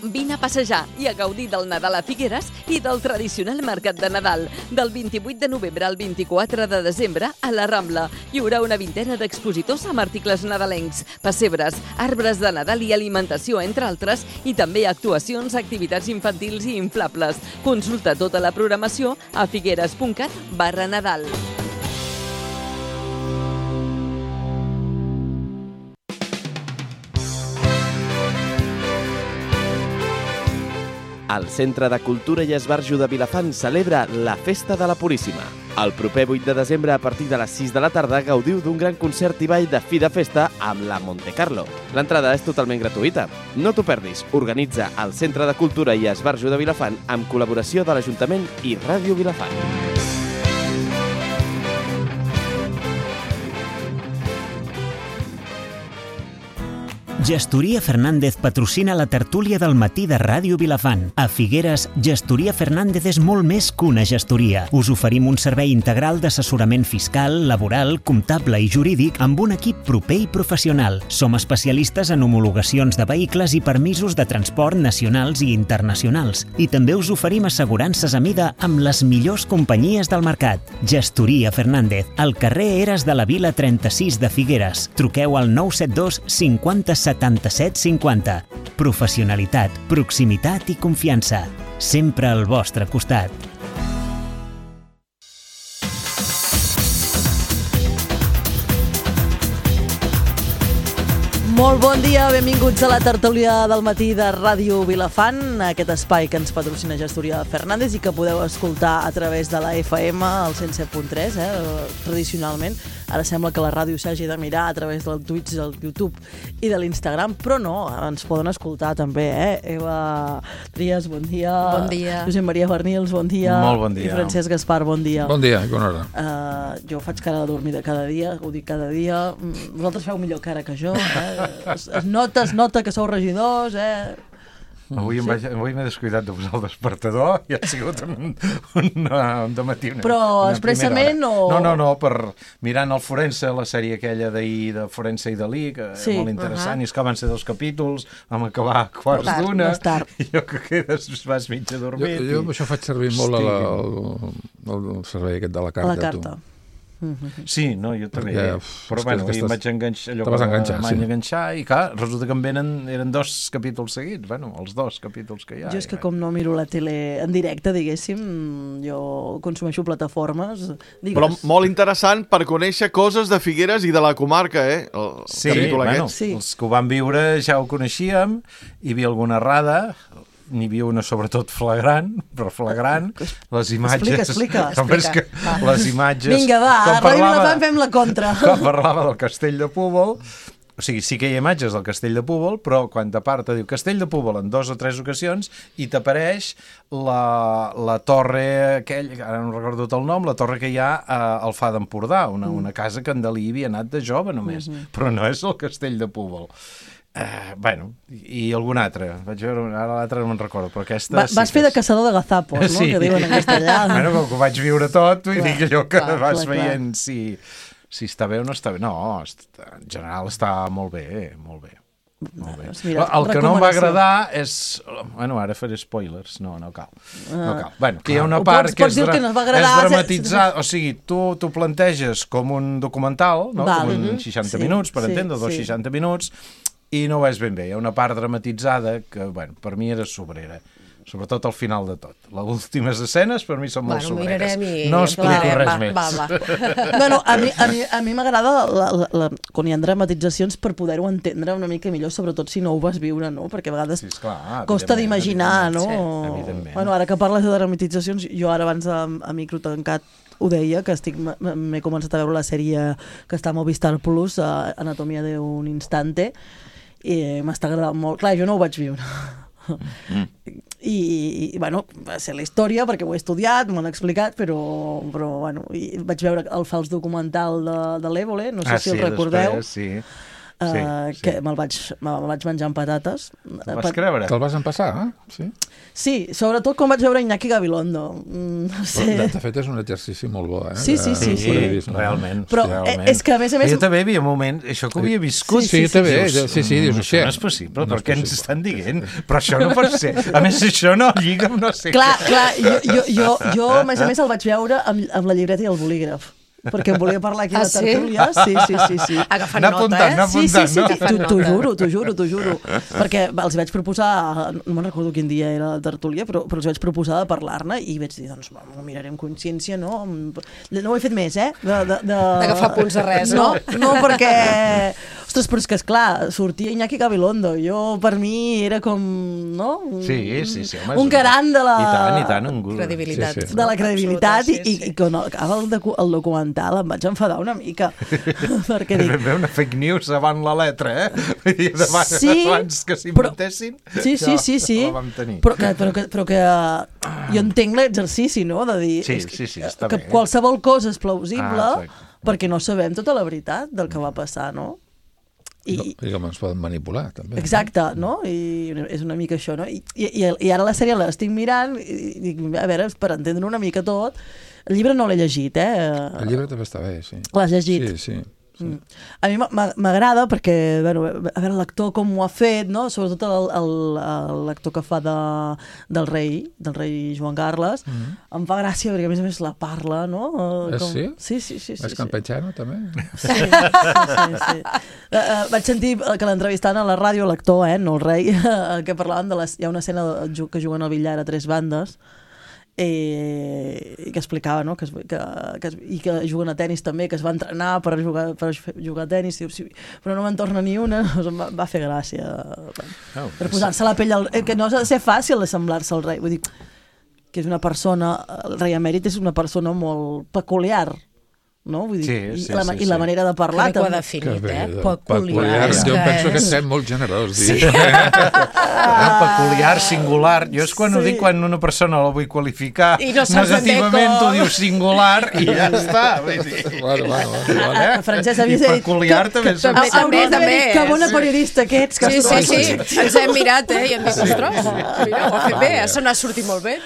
Vine a passejar i a gaudir del Nadal a Figueres i del tradicional mercat de Nadal. Del 28 de novembre al 24 de desembre a la Rambla. Hi haurà una vintena d'expositors amb articles nadalencs, pessebres, arbres de Nadal i alimentació, entre altres, i també actuacions, activitats infantils i inflables. Consulta tota la programació a figueres.cat/Nadal. El Centre de Cultura i Esbarjo de Vilafant celebra la Festa de la Puríssima. El proper 8 de desembre, a partir de les 6 de la tarda, gaudiu d'un gran concert i ball de fi de festa amb la Monte Carlo. L'entrada és totalment gratuïta. No t'ho perdis. Organitza el Centre de Cultura i Esbarjo de Vilafant amb col·laboració de l'Ajuntament i Ràdio Vilafant. Gestoria Fernández patrocina la tertúlia del matí de Ràdio Vilafant. A Figueres, Gestoria Fernández és molt més que una gestoria. Us oferim un servei integral d'assessorament fiscal, laboral, comptable i jurídic amb un equip proper i professional. Som especialistes en homologacions de vehicles i permisos de transport nacionals i internacionals. I també us oferim assegurances a mida amb les millors companyies del mercat. Gestoria Fernández, al carrer Eres de la Vila 36 de Figueres. Truqueu al 972 50 77 50. Professionalitat, proximitat i confiança. Sempre al vostre costat. Molt bon dia, benvinguts a la tertúlia del matí de Ràdio Vilafant, aquest espai que ens patrocina Gestoria Fernández i que podeu escoltar a través de la FM, al 107.3, tradicionalment. Ara sembla que la ràdio s'hagi de mirar a través del Twitch, del YouTube i de l'Instagram, però no, ens poden escoltar també, Eva Trias, bon dia. Bon dia. Josep Maria Bernils, bon dia. Molt bon dia. I Francesc Gaspar, bon dia. Bon dia, bona hora. Jo faig cara de dormida cada dia, ho dic cada dia. Vosaltres feu millor cara que jo, Es nota que sou regidors, Avui m'he descuidat de posar el despertador i ha sigut un dematí. Però expressament o...? No, per mirant el Forense, la sèrie aquella d'ahir de Forense i Dalí, que és molt interessant, i és que van ser 2 capítols, vam acabar a quarts d'una, i jo que quedes vas mig adormit. Jo amb això faig servir molt el servei aquest de la carta. La carta. Sí, no, jo també. Però bueno, em vaig enganxar, enganxar i clar, resulta que eren 2 capítols seguits, bueno, els 2 capítols que hi ha. Jo és que com no miro la tele en directe, diguéssim, jo consumeixo plataformes. Però molt interessant per conèixer coses de Figueres i de la comarca, Sí, bueno, els que ho van viure ja ho coneixíem, hi havia alguna errada, n'hi havia una sobretot flagrant, les imatges... Explica. Les imatges... Vinga, va, a Ràdio Vilafant fem la contra. Quan parlava del Castell de Púbol, o sigui, sí que hi ha imatges del Castell de Púbol, però quan t'aparta diu Castell de Púbol en 2 o 3 ocasions i t'apareix la torre aquella, ara no recordo el nom, la torre que hi ha al Far d'Empordà, una casa que en Dalí havia anat de jove només, però no és el Castell de Púbol. Bueno, i algun altre. Vaig veure, ara l'altre no me'n recordo, però aquesta... Vas fer de caçador de gazapos, no? Que diuen en castellà. Bueno, com que ho vaig viure tot, vull dir que allò que vas veient si està bé o no està bé. No, en general està molt bé, molt bé. El que no em va agradar és... Bueno, ara faré spoilers. No cal. Bueno, que hi ha una part que és dramatitzada. O sigui, tu planteges com un documental, com un 60 minuts, per entendre, 60 minuts, i no ho és ben bé. Hi ha una part dramatitzada que, bueno, per mi era sobrera. Sobretot al final de tot. Les últimes escenes per mi són molt sobreres. No explico res més. Bueno, a mi m'agrada quan hi ha dramatitzacions per poder-ho entendre una mica millor, sobretot si no ho vas viure, no? Perquè a vegades costa d'imaginar, no? Bueno, ara que parles de dramatitzacions, jo ara abans a micro tancat ho deia, que m'he començat a veure la sèrie que està a Movistar Plus, Anatomia d'un instante, i m'està agradant molt. Clar, jo no ho vaig viure. I bueno, va ser la història perquè ho he estudiat, m'ho han explicat, però bueno, i vaig veure el fals documental de l'Évole, no sé si el recordeu. Sí. que me'l vaig menjar amb patates. Te'l vas creure? Te'l vas empassar, sí? Sí, sobretot quan vaig veure Iñaki Gabilondo. No sé. De fet, és un exercici molt bo, Sí, realment. Però és que, a més... Jo també havia un moment, això que havia viscut... Sí, també, sí, dius, això no és possible, però què ens estan dient? Però això no pot ser. A més, això no lliga amb no sé què. Clar, jo, a més, el vaig veure amb la llibreta i el bolígraf. Perquè em volia parlar aquí a la tertúlia. Sí. Agafant nota, Sí, t'ho juro. Perquè els vaig proposar, no me'n recordo quin dia era la tertúlia, però els vaig proposar de parlar-ne i vaig dir, doncs, m'ho miraré amb consciència, no? No ho he fet més, d'agafar punts de res, no? No, perquè... Ostres, però és que, esclar, sortia Iñaki Gabilondo. Jo, per mi, era com, no? Sí, home. Un garant de la... I tant, un gust. Credibilitat. De la credibilitat i quan acaba el documental em vaig enfadar una mica. Perquè dic... Vam una fake news avant la letra, abans que s'inventessin. Sí. Però que jo entenc l'exercici, no? De dir està que bé. Qualsevol cosa és plausible perquè no sabem tota la veritat del que va passar, no? I com ens poden manipular, també. Exacte, no? I és una mica això, no? I ara la sèrie l'estic mirant i dic, a veure, per entendre una mica tot. El llibre no l'he llegit, El llibre també està bé, sí. L'has llegit? Sí. A mi m'agrada perquè, bueno, a veure, l'actor com ho ha fet, no? Sobretot l'actor que fa del rei Joan Carles, em fa gràcia perquè a més la parla, no? Sí? Sí. És campechano, també? Sí. Vaig sentir que l'entrevistaven a la ràdio, l'actor, no el rei, que parlaven hi ha una escena que juguen al billar a 3 bandes, i que explicava, no? I que juguen a tennis també, que es va entrenar per jugar a tennis, però no me'n torna ni una. Va fer gràcia per posar-se la pell que no ha de ser fàcil assemblar-se al rei, vull dir que és una persona, el rei emèrit és una persona molt peculiar, no? Vull dir, i la manera de parlar que ho ha definit, peculiar. Jo penso que estem molt generós, peculiar, singular. Jo és quan ho dic, quan una persona la vull qualificar negativament, ho diu singular i ja està. Francesc, havies dit peculiar també. Hauries d'haver dit que bona periodista que ets. Sí, ens hem mirat i hem dit, ostres, mira, ho ha fet bé, se n'ha sortit molt bé.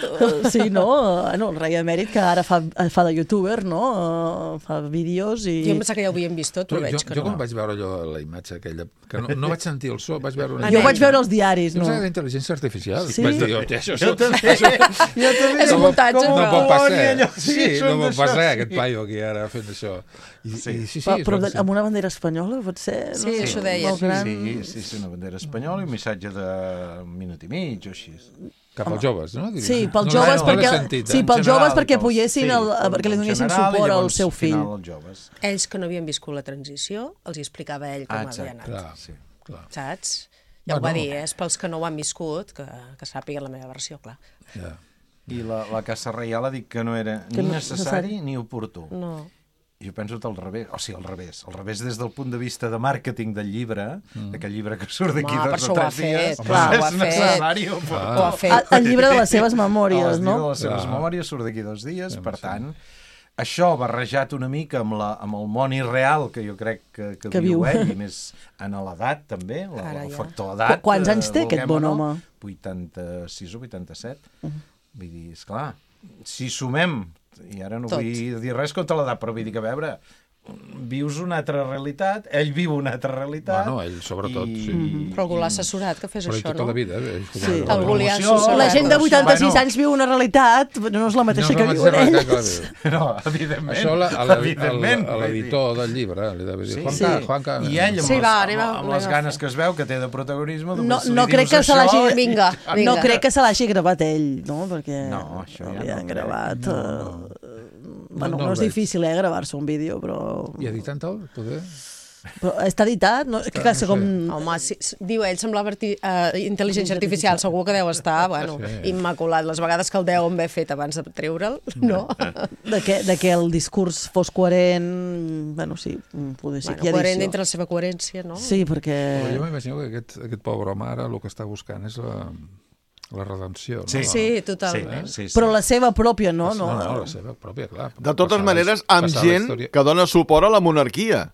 Sí, no? El rei emèrit que ara fa de youtuber, no? Fa vídeos i... Jo em pensava que ja ho havíem vist tot, però veig que no. Jo quan vaig veure allò, la imatge aquella, que no vaig sentir el so, vaig veure... Jo vaig veure els diaris, no? No sé, d'intel·ligència artificial. Sí? Vaig dir, això... Jo també. És un muntatge. No pot passar. Sí, no pot passar aquest paio aquí ara fent això. Però amb una bandera espanyola, pot ser? Sí, això deia. Sí, una bandera espanyola i un missatge de un minut i mig o així. Cap als joves, no? Sí, pels joves perquè apoyessin, perquè li donessin suport al seu fill. Ells que no havien viscut la transició, els hi explicava ell com havia anat. Saps? Ja ho va dir, és pels que no ho han viscut, que sàpiguen la meva versió, clar. I la Casa Reial ha dit que no era ni necessari ni oportú. No. Jo penso al revés, al revés des del punt de vista de màrqueting del llibre, d'aquest llibre que surt d'aquí 2 o 3 dies, és necessari o oportú. El llibre de les seves memòries, no? El llibre de les seves memòries surt d'aquí 2 dies, per tant, això barrejat una mica amb el món irreal que jo crec que viu ell, i més en l'edat també, el factor edat. Quants anys té aquest bon home? 86 o 87. Vull dir, esclar, si sumem, i ara no vull dir res contra l'edat, però vull dir que, a veure, vius una altra realitat, ell viu una altra realitat. Bueno, ell sobretot, sí. Però algú l'ha assessorat que fes això, no? Però tota la vida, sí. Algú li ha assessorat. La gent de 86 anys viu una realitat, no és la mateixa que viuen ells. No, evidentment. Això a l'editor del llibre li deve dir, Juanca... I ell, amb les ganes que es veu que té de protagonisme, no crec que se l'hagi... Vinga. No crec que se l'hagi gravat ell, no? Perquè l'havien gravat... Bueno, no és difícil, gravar-se un vídeo, però... I editant tot, poder? Però està editat? No, Home, diu ell, semblava intel·ligència artificial, segur que deu estar, immaculat. Les vegades que el deuen haver fet abans de treure'l, no? De que el discurs fos coherent, bueno, sí, poder ser que hi ha coherent dintre la seva coherència, no? Sí, perquè... Jo m'imagino que aquest pobre home ara el que està buscant és la redempció. Sí, totalment. Però la seva pròpia, no? No, la seva pròpia, clar. De totes maneres, amb gent que dona suport a la monarquia.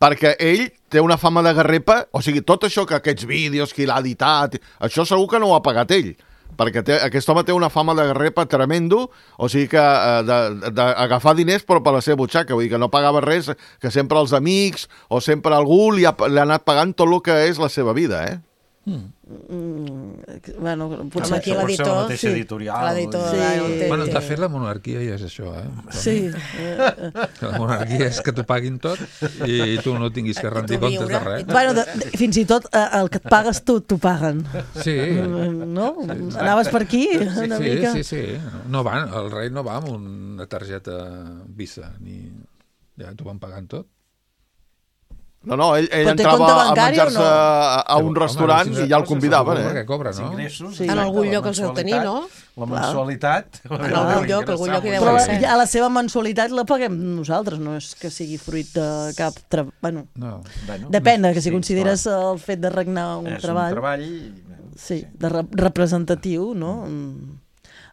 perquè ell té una fama de garrepa, o sigui, tot això que aquests vídeos que l'ha editat, això segur que no ho ha pagat ell, perquè aquest home té una fama de garrepa tremendo, o sigui que d'agafar diners però per la seva butxaca, vull dir que no pagava res, que sempre els amics o sempre algú li ha anat pagant tot el que és la seva vida, Bueno, potser aquí l'editor... la mateixa editorial. Bueno, de fet, la monarquia ja és això, Sí. La monarquia és que t'ho paguin tot i tu no tinguis que rendir comptes de res. Bueno, fins i tot el que et pagues tu, t'ho paguen. Sí. No? Anaves per aquí una mica? Sí. No van, el rei no va amb una targeta Visa, ni... Ja t'ho van pagant tot. No, ell entrava a menjar-se a un restaurant i ja el convidaven, que cobra, no? En algun lloc els deu tenir, no? La mensualitat. En algun lloc hi deu ser. Però la seva mensualitat la paguem nosaltres, no és que sigui fruit de cap treball. Bueno, depèn, que si consideres el fet de regnar un treball... És un treball... Sí, representatiu, no?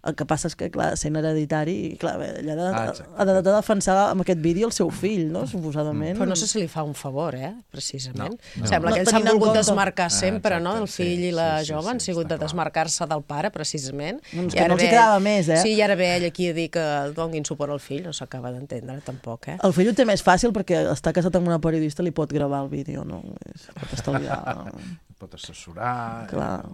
El que passa és que, clar, sent hereditari, clar, ella ha de defensar amb aquest vídeo el seu fill, no?, suposadament. Però no sé si li fa un favor, precisament. Sembla que ells s'han volgut desmarcar sempre, no?, el fill i la jove han sigut de desmarcar-se del pare, precisament. Doncs que no els hi quedava més, Sí, i ara ve ell aquí a dir que donguin suport al fill, no s'acaba d'entendre, tampoc, El fill ho té més fàcil perquè està casat amb una periodista, li pot gravar el vídeo, no? Pot estalviar... Pot assessorar,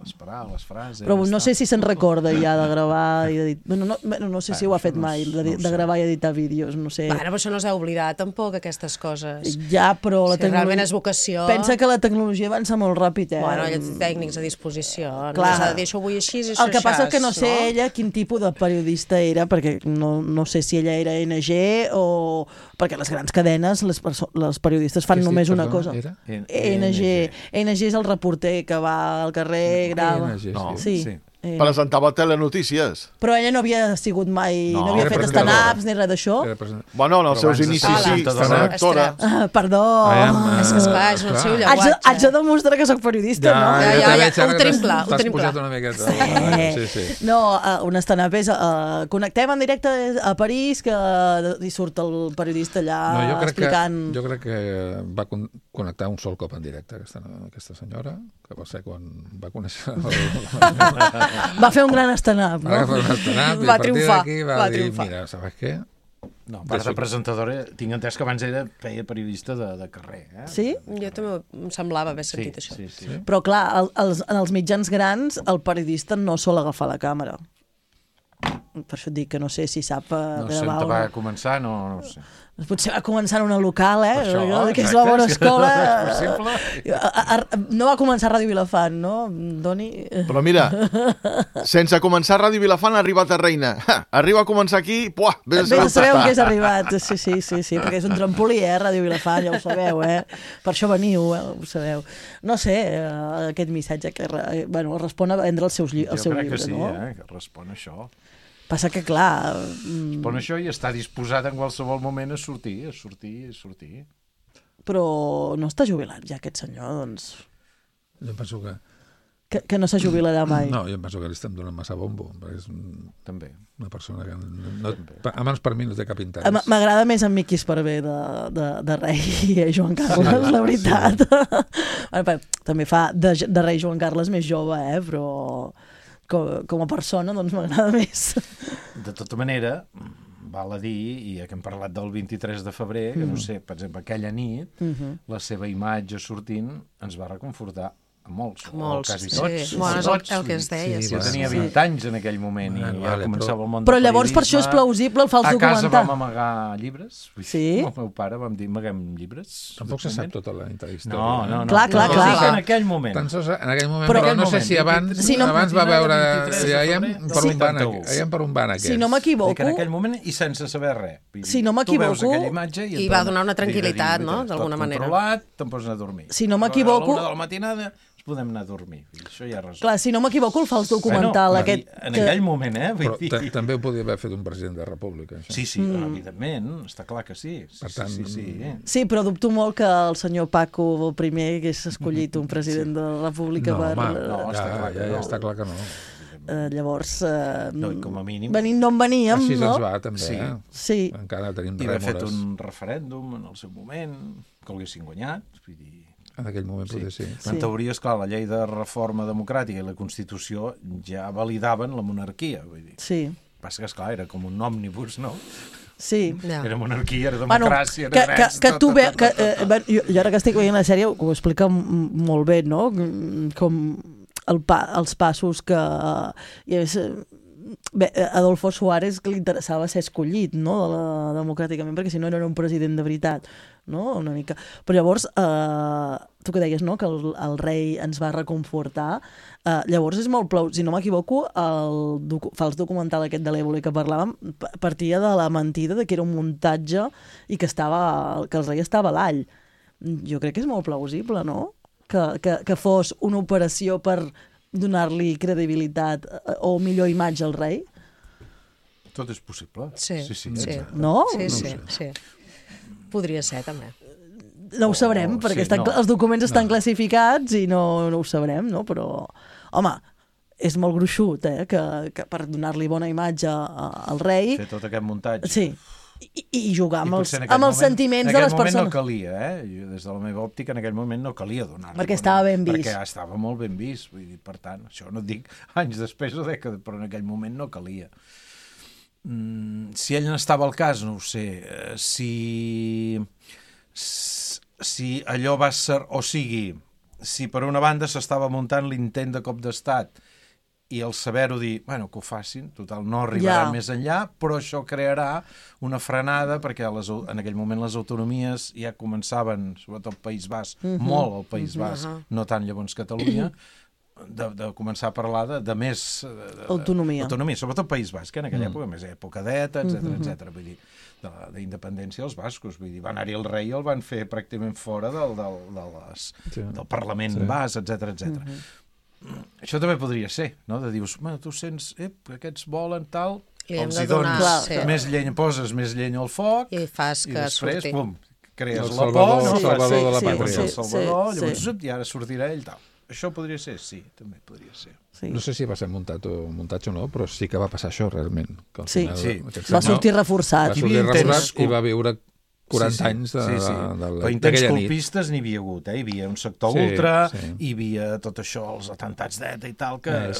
esperar les frases... Però no sé si se'n recorda ja de gravar i d'editar... No sé si ho ha fet mai, de gravar i editar vídeos, no sé. Bueno, però això no s'ha oblidat tampoc, aquestes coses. Ja, però la tecnologia... Realment és vocació... Pensa que la tecnologia avança molt ràpid, Bueno, hi ha tècnics a disposició. No s'ha de dir això avui així i això el que passa és que no sé ella quin tipus de periodista era, perquè no sé si ella era NG o... Perquè les grans cadenes, les periodistes fan només una cosa. NG és el reporter que va al carrer, grava... Sí. Presentava telenotícies. Però ella no havia sigut mai... No havia fet stand-ups ni res d'això? Bueno, en els seus inicis sí, era actora. Perdó. És que esclar, és el seu llenguatge. Haig de demostrar que soc periodista, no? Ja, ho tenim clar. T'has posat una miqueta. No, un stand-up és... Connectem en directe a París, que hi surt el periodista allà explicant... Jo crec que va connectar un sol cop en directe aquesta senyora, que va ser quan va conèixer... Va fer un gran stand-up, no? Va triomfar. Va dir, mira, ¿sabes què? No, part de presentadora, tinc entès que abans feia periodista de carrer. Sí? Jo també em semblava haver sentit això. Sí. Però clar, en els mitjans grans el periodista no sol agafar la càmera. Per això et dic que no sé si sap gravar... No sé on va començar, no sé. Potser va començar en una local, que és la bona escola. No va començar a Ràdio Vilafant, no, Doni? Però mira, sense començar a Ràdio Vilafant ha arribat a Reina. Arriba a començar aquí, vés a saber on és arribat. Sí, perquè és un trampolí, Ràdio Vilafant, ja ho sabeu, Per això veniu, ho sabeu. No sé, aquest missatge que respon a vendre el seu llibre, no? Jo crec que sí, que respon a això. Passa que, clar... Respon a això i està disposat en qualsevol moment a sortir. Però no està jubilat ja aquest senyor, doncs... Jo penso que... Que no se jubilarà mai. No, jo penso que li estem donant massa bombo, perquè és també una persona que almenys per mi no té cap interès. M'agrada més en Miqui Esparvé de rei Joan Carles, la veritat. També fa de rei Joan Carles més jove, però... Com a persona, doncs m'agrada més. De tota manera, val a dir, i que hem parlat del 23 de febrer, que no sé, per exemple, aquella nit, la seva imatge sortint ens va reconfortar a molts, quasi tots. Bueno, és el que es deia. Jo tenia 20 anys en aquell moment i ja començava el món del periodisme. Però llavors per això és plausible el fals documentar. A casa vam amagar llibres. Sí? El meu pare vam dir, amaguem llibres. Tampoc se sap tota la història. No. Clar. En aquell moment. En aquell moment, però no sé si abans va veure... Veiem per on van aquests. Si no m'equivoco... En aquell moment i sense saber res. Si no m'equivoco... Tu veus aquella imatge i va donar una tranquil·litat, no?, d'alguna manera. Tot controlat, te'n pots anar a dormir. Si no m'equivoco... A l'una de la matinada podem anar a dormir. Això ja resol. Clar, si no m'equivoco, el fals documental aquest... En aquell moment, Però també ho podia haver fet un president de la República, això. Sí, evidentment, està clar que sí. Per tant... Sí, però dubto molt que el senyor Paco I hagués escollit un president de la República per... No, ja està clar que no. Llavors, com a mínim... venint d'on veníem, així no? ens va, també. Sí. Encara tenim rèmores. I haver fet un referèndum en el seu moment, que l'haguessin guanyat, vull dir... En aquell moment potser sí. En teoria, esclar, la llei de reforma democràtica i la Constitució ja validaven la monarquia, vull dir. Sí. Passa que, esclar, era com un òmnibus, no? Sí. Era monarquia, era democràcia, era drets... Jo ara que estic veient la sèrie ho explica molt bé, no? Com els passos que... Bé, Adolfo Suárez, que li interessava ser escollit, no? Democràticament, perquè si no era un president de veritat, no? Una mica. Però llavors, tu que deies, no? Que el rei ens va reconfortar. Llavors és molt si no m'equivoco, el fals documental aquest de l'Évole que parlàvem partia de la mentida de que era un muntatge i que el rei estava a l'all. Jo crec que és molt plausible, no? Que fos una operació per donar-li credibilitat o millor imatge al rei? Tot és possible. Sí. No? Sí. Podria ser, també. No ho sabrem, perquè els documents estan classificats i no ho sabrem, no? Però, home, és molt gruixut, que per donar-li bona imatge al rei... Fer tot aquest muntatge. Sí. I jugar amb els sentiments de les persones. En aquell moment no calia, des de la meva òptica, en aquell moment no calia donar-li. Perquè estava ben vist. Perquè estava molt ben vist. Vull dir, per tant, això no et dic anys després o dècades, però en aquell moment no calia. Si ell n'estava al cas, no ho sé. Si allò va ser... O sigui, si per una banda s'estava muntant l'intent de cop d'estat i el saber-ho dir, bueno, que ho facin, total, no arribaran més enllà, però això crearà una frenada, perquè en aquell moment les autonomies ja començaven, sobretot al País Basc, molt al País Basc, no tant llavors Catalunya, de començar a parlar de més... Autonomia, sobretot al País Basc, en aquella època, més època d'ETA, etc. Vull dir, d'independència dels bascos, vull dir, va anar-hi el rei i el van fer pràcticament fora del Parlament basc, etc. Això també podria ser, no? De dius, tu sents, aquests volen tal, els hi dones més llenya, poses més llenya al foc i fas que després, surti. pum, crees la por, el salvador de la pàtria. El salvador, llavors, i ara sortirà ell tal. Això podria ser? Sí, també podria ser. No sé si va ser muntatge o no, però sí que va passar això realment. Sí, va sortir reforçat. Va sortir reforçat i va viure 40 anys però intents colpistes n'hi havia hagut, hi havia un sector ultra, hi havia tot això, els atentats d'ETA i tal, que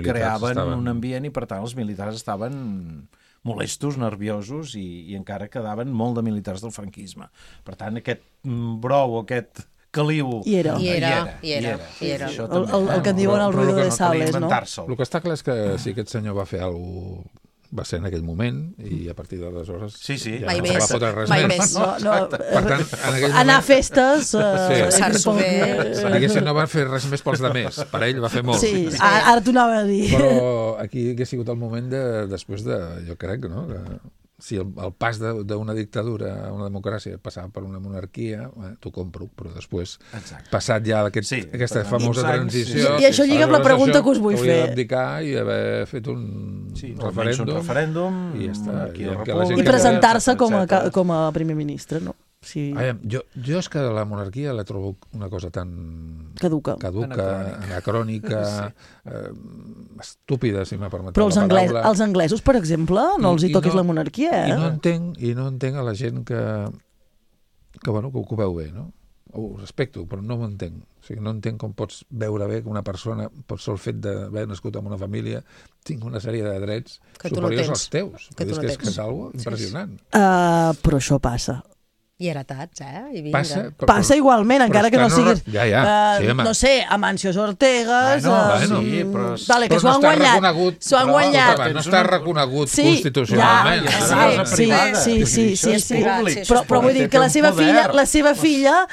creaven un ambient i per tant els militars estaven molestos, nerviosos i encara quedaven molt de militars del franquisme. Per tant, aquest brou, aquest caliu... Hi era. El que en diuen el ruido de sables, no? El que està clar és que si aquest senyor va fer alguna cosa va ser en aquell moment i a partir d'aleshores ja no se va fotre res més. Per tant, anar a festes... Passar-s'ho bé. Diguéssim, no va fer res més pels demés. Per ell va fer molt. Sí, ara t'ho anava a dir. Però aquí hauria sigut el moment després de, jo crec, no? Si el pas d'una dictadura a una democràcia passava per una monarquia, t'ho compro, però després, passat ja aquesta famosa transició... I això lliga amb la pregunta que us vull fer. Hauria d'abdicar i haver fet un referèndum i ja està. I presentar-se com a primer ministre, no? Sí. Jo és que la monarquia la trobo una cosa tan caduca, anacrònica, estúpida, si m'ha permet la paraula. Però els anglesos, per exemple, no els hi toquis la monarquia, I no entenc a la gent que ho veu bé, no? Ho respecto, però no ho entenc. O sigui, no entenc com pots veure bé que una persona, per sol fet d'haver nascut en una família, tingui una sèrie de drets superiors als teus. És que és algo impressionant. Però això passa. I heretats, Passa igualment, encara que no siguis... No sé, Amancio Ortegas... Que s'ho han guanyat. S'ho han guanyat. No està reconegut constitucionalment. Sí. Però vull dir que la seva filla,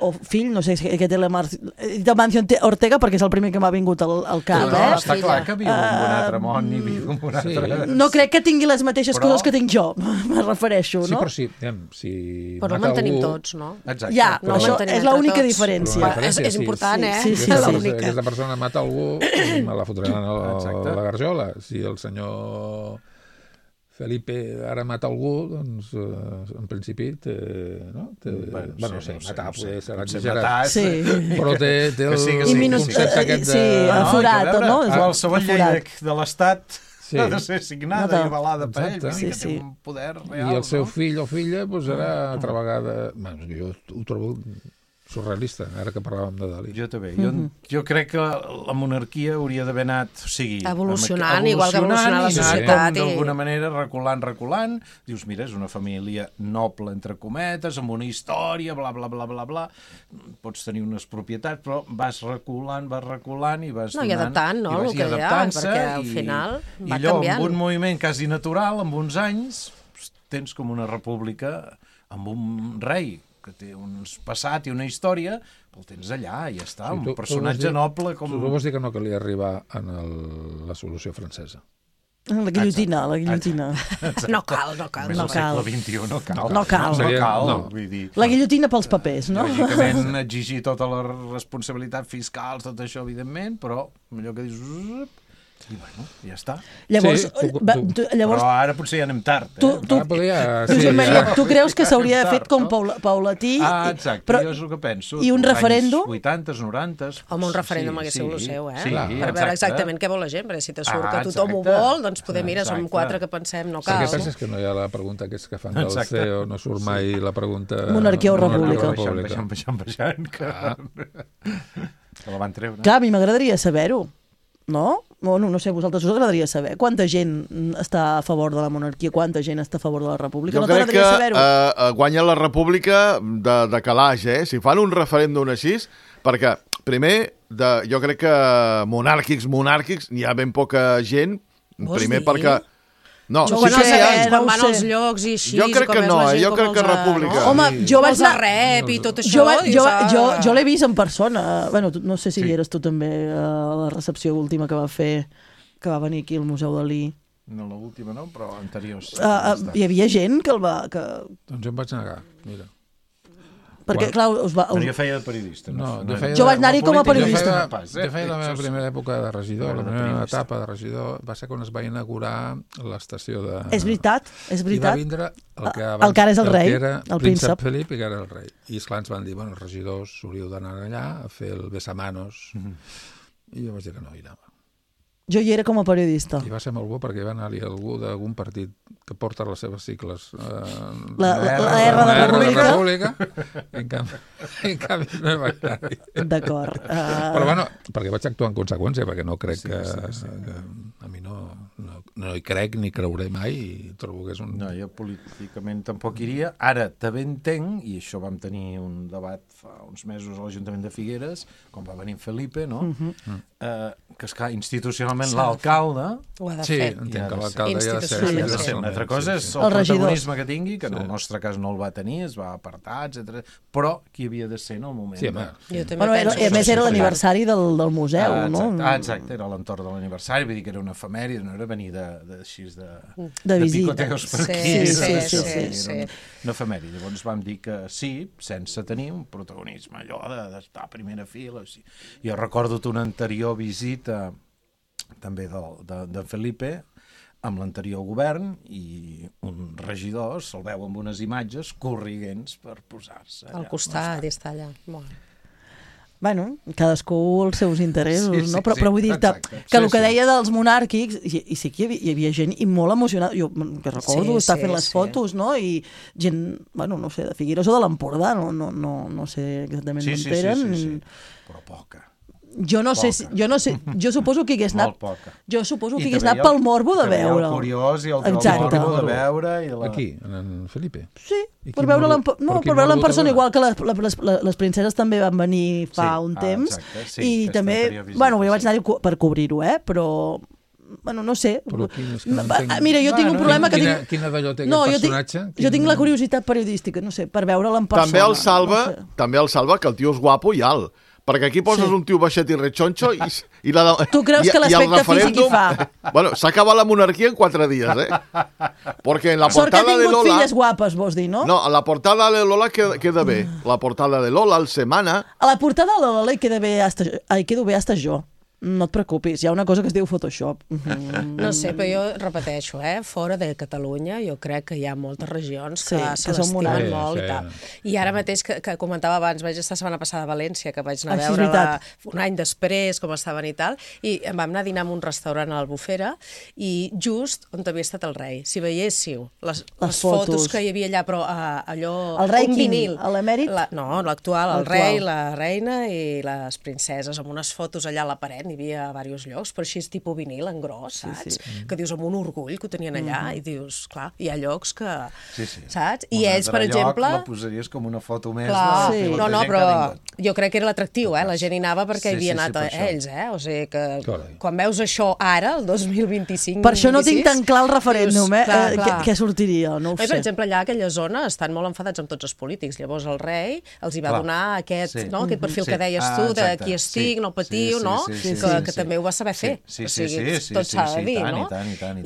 o fill, no sé què té Amancio Ortega, perquè és el primer que m'ha vingut al cap. Està clar que viu en un altre món i viu en un altre... No crec que tingui les mateixes coses que tinc jo, me refereixo, no? Sí, però sí... Però no mantenim tots, no? Exacte. Ja, això és l'única diferència. És important, Si aquesta persona mata algú, me la fotran a la garjola. Si el senyor Felipe ara mata algú, doncs, en principi, no sé, matar potser serà exagerat, però té el concepte aquest de... aforat, no? Qualsevol llei de l'Estat ha de ser signada i avalada per ell, que té un poder real. I el seu fill o filla, doncs ara, altra vegada... Jo ho trobo surrealista, ara que parlàvem de Dalí. Jo també. Jo crec que la monarquia hauria d'haver anat, o sigui... Evolucionant, igual que evolucionar la societat. D'alguna manera, reculant. Dius, mira, és una família noble, entre cometes, amb una història, bla, bla, bla, bla, bla. Pots tenir unes propietats, però vas reculant i vas donant... I adaptant, no?, el que hi ha, perquè al final va canviant. I allò, amb un moviment quasi natural, amb uns anys, tens com una república amb un rei que té un passat i una història, el tens allà, i ja està, un personatge noble com... Tu vols dir que no calia arribar en la solució francesa? La guillotina. No cal. Més al segle XXI no cal. No cal. Vull dir... La guillotina pels papers, no? Lògicament, exigir tota la responsabilitat fiscal, tot això, evidentment, però allò que dius... I bueno, ja està. Llavors, però ara potser ja anem tard. Tu creus que s'hauria fet com paulatí? Exacte, jo és el que penso. I un referèndum? 80s, 90s... Home, un referèndum hagués sigut el seu, per veure exactament què vol la gent, perquè si te surt que tothom ho vol, doncs poder, mira, som 4 que pensem, no cal. El que passa és que no hi ha la pregunta que fan del CEO, no surt mai la pregunta... Monarquia o república. Baixant, que la van treure. Clar, a mi m'agradaria saber-ho. No? No sé, a vosaltres us agradaria saber quanta gent està a favor de la monarquia, quanta gent està a favor de la república. Jo crec que guanya la república de calaix, Si fan un referèndum així, perquè primer, jo crec que monàrquics, n'hi ha ben poca gent, primer perquè... No, quan van als llocs i així... Jo crec que no, jo crec que república. Home, jo vaig anar... rep i tot això... Jo l'he vist en persona. Bueno, no sé si hi eres tu també a la recepció última que va fer, que va venir aquí al Museu Dalí. No, l'última no, però anteriors. Hi havia gent que el va... Doncs em vaig negar, mira. Perquè, clar, Però jo feia de periodista. Jo vaig anar-hi com a periodista. Jo feia la meva primera època de regidor, la meva etapa de regidor, va ser quan es va inaugurar l'estació de... És veritat. I va vindre el que ara és el rei, el príncep Felip, i que era el rei. I esclar, ens van dir, els regidors hauríeu d'anar allà a fer el besamanos. I jo vaig dir que no hi anava. Jo hi era com a periodista. I va ser molt bo perquè va anar-hi algú d'algun partit que porta les seves cicles. La R de República. En canvi no vaig anar-hi. D'acord. Però bueno, perquè vaig actuar en conseqüència, perquè no crec que a mi no hi crec ni creuré mai i trobo que és un... No, jo políticament tampoc iria. Ara també entenc, i això vam tenir un debat fa uns mesos a l'Ajuntament de Figueres, quan va venir Felipe, no? Que, esclar, institucionalment l'alcalde... Ho ha de fer. Sí, entenc que l'alcalde ha de ser. Una altra cosa és el protagonisme que tingui, que en el nostre cas no el va tenir, es va apartar, etc. Però qui havia de ser en el moment? Sí, home. A més, era l'aniversari del museu, no? Exacte, era l'entorn de l'aniversari, vull dir que era una efemèride, no era venir de visita. Picoteos per aquí. Sí. Una efemèride. Llavors vam dir que sí, sense tenir un protagonisme, allò d'estar a primera fila. Jo recordo una anterior visita també de Felipe amb l'anterior govern i un regidor se'l veu amb unes imatges corriguents per posar-se allà. Al costat i està allà. Bueno, cadascú els seus interessos, no? Però vull dir-te que el que deia dels monàrquics, i sí que hi havia gent i molt emocionada, jo que recordo estar fent les fotos, no? I gent, bueno, no sé, de Figueres o de l'Empordà, no sé exactament on eren. Sí, però poca. Jo no sé, jo suposo que hagués anat... Jo suposo que hagués anat pel morbo de veure. El curiós i el morbo de veure... Aquí, en Felipe? Sí, per veure'l en persona, igual que les princeses també van venir fa un temps. I també, bueno, jo vaig anar per cobrir-ho, però... Bueno, no sé. Mira, jo tinc un problema que tinc... Quina d'allò té aquest personatge? Jo tinc la curiositat periodística, no sé, per veure'l en persona. També el salva que el tio és guapo i alt. Perquè aquí poses un tio baixet i rechonxo i tu creus que l'aspecte físic hi fa? Bueno, s'ha acabat la monarquia en 4 dies, Porque en la portada de Lola... Sort que ha tingut filles guapes, vols dir, no? No, a la portada de Lola queda bé. La portada de Lola, el Semana... A la portada de Lola hi quedo bé hasta jo. no et preocupis, hi ha una cosa que es diu Photoshop. No sé, però jo repeteixo, fora de Catalunya jo crec que hi ha moltes regions que se l'estimen molt i tal. I ara mateix, que comentava abans, vaig estar setmana passada a València, que vaig anar a veure un any després com estaven i tal, i em vam anar a dinar en un restaurant a l'Albufera i just on havia estat el rei. Si veiéssiu les fotos que hi havia allà, però allò... El rei quin? L'emèrit? No, l'actual, el rei, la reina i les princeses, amb unes fotos allà a la paret, n'hi havia a diversos llocs, però així és tipus vinil, en gros, saps? Que dius amb un orgull que ho tenien allà i dius, clar, hi ha llocs que... Saps? I ells, per exemple... La posaries com una foto més... No, però jo crec que era l'atractiu, la gent hi anava perquè hi havia anat ells, o sigui que quan veus això ara, el 2025... Per això no tinc tan clar el referèndum, què sortiria, no ho sé. Per exemple, allà a aquella zona estan molt enfadats amb tots els polítics, llavors el rei els hi va donar aquest perfil que deies tu, de qui estic, no patiu, no? Que també ho va saber fer. O sigui, tot s'ha de dir, no?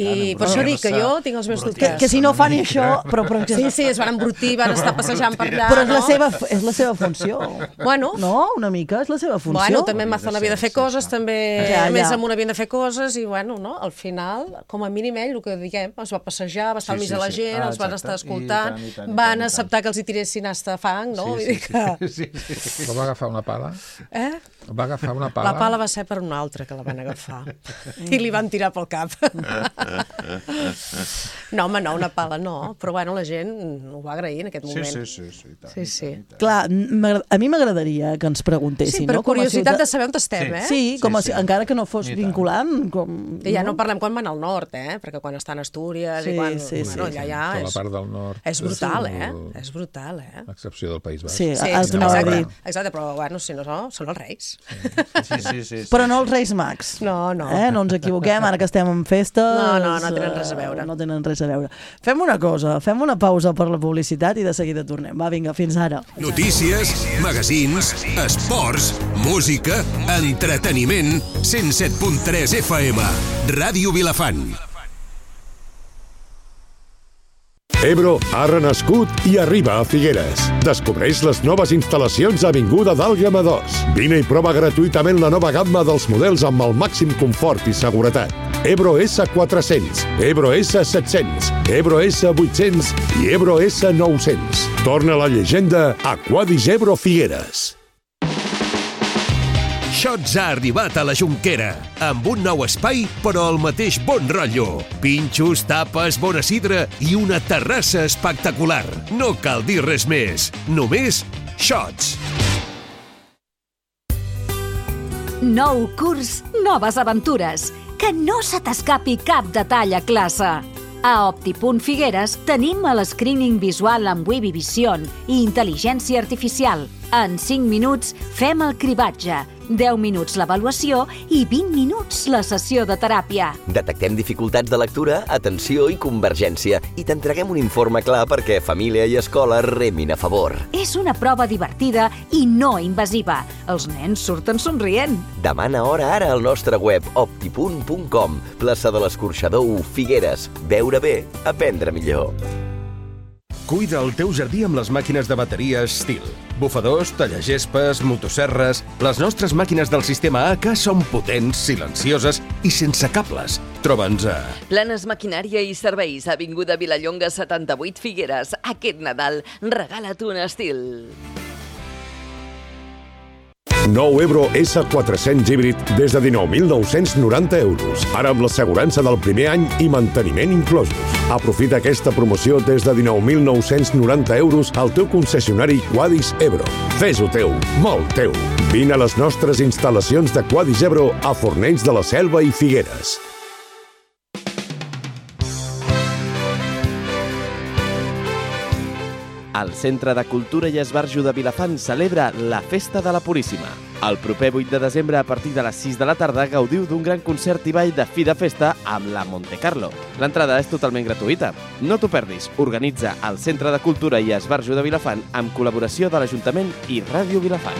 I per això dic que jo tinc els meus dubtes. Que si no fan això... Sí, es van embrutir, van estar passejant per allà. Però és la seva funció. Bueno. No? Una mica, és la seva funció. Bueno, també en Mazón havia de fer coses, també més amunt havien de fer coses, i bueno, al final, com a mínim ell, el que diguem, es va passejar, va estar al mig de la gent, els van estar escoltant, van acceptar que els hi tiressin hasta fang, no? Però va agafar una pala? Va agafar una pala? La pala va ser per un altre que la van agafar i li van tirar pel cap. No, home, no, una pala no, però bueno, la gent ho va agrair en aquest moment. Sí. Clar, a mi m'agradaria que ens preguntessin, no? Sí, per curiositat de saber on estem, Sí, encara que no fos vinculant. I ja no parlem quan van al nord, perquè quan estan a Astúries i quan... Allà ja la part del nord. És brutal, És brutal, A excepció del País Basc. Sí, els anava a dir. Exacte, però bueno, si no són els reis. Sí. Però no els Reis Mags. No. No ens equivoquem, ara que estem en festes... No tenen res a veure. No tenen res a veure. Fem una cosa, fem una pausa per la publicitat i de seguida tornem. Va, vinga, fins ara. Notícies, magazins, esports, música, entreteniment, 107.3 FM, Ràdio Vilafant. Ebro ha renascut i arriba a Figueres. Descobreix les noves instal·lacions a Avinguda d'Àlguema 2. Vine i prova gratuïtament la nova gamma dels models amb el màxim confort i seguretat. Ebro S400, Ebro S700, Ebro S800 i Ebro S900. Torna la llegenda a Quadis Ebro Figueres. Shots ha arribat a la Jonquera, amb un nou espai, però el mateix bon rotllo. Pinxos, tapes, bona sidra i una terrassa espectacular. No cal dir res més, només Shots. Nou curs, noves aventures. Que no se t'escapi cap detall a classe. A Opti.Figueres tenim el screening visual amb Webby Vision i intel·ligència artificial. En 5 minuts fem el cribatge, 10 minuts l'avaluació i 20 minuts la sessió de teràpia. Detectem dificultats de lectura, atenció i convergència i t'entreguem un informe clar perquè família i escola remin a favor. És una prova divertida i no invasiva. Els nens surten somrient. Demana hora ara al nostre web opti.com, plaça de l'Escorxador 1, Figueres. Veure bé, aprendre millor. Cuida el teu jardí amb les màquines de bateria Stihl. Bufadors, tallagespes, motosserres... Les nostres màquines del sistema AK són potents, silencioses i sense cables. Troba'ns a... Planes Maquinària i Serveis, Avinguda Vilallonga 78, Figueres. Aquest Nadal, regala't un Stihl. Nou Ebro S400 híbrid des de 19.990 euros. Ara amb l'assegurança del primer any i manteniment inclosos. Aprofita aquesta promoció des de 19.990 euros al teu concessionari Quadis Ebro. Fes-ho teu, molt teu. Vine a les nostres instal·lacions de Quadis Ebro a Fornells de la Selva i Figueres. El Centre de Cultura i Esbarjo de Vilafant celebra la Festa de la Puríssima. El proper 8 de desembre, a partir de les 6 de la tarda, gaudiu d'un gran concert i ball de fi de festa amb la Montecarlo. L'entrada és totalment gratuïta. No t'ho perdis. Organitza el Centre de Cultura i Esbarjo de Vilafant amb col·laboració de l'Ajuntament i Ràdio Vilafant.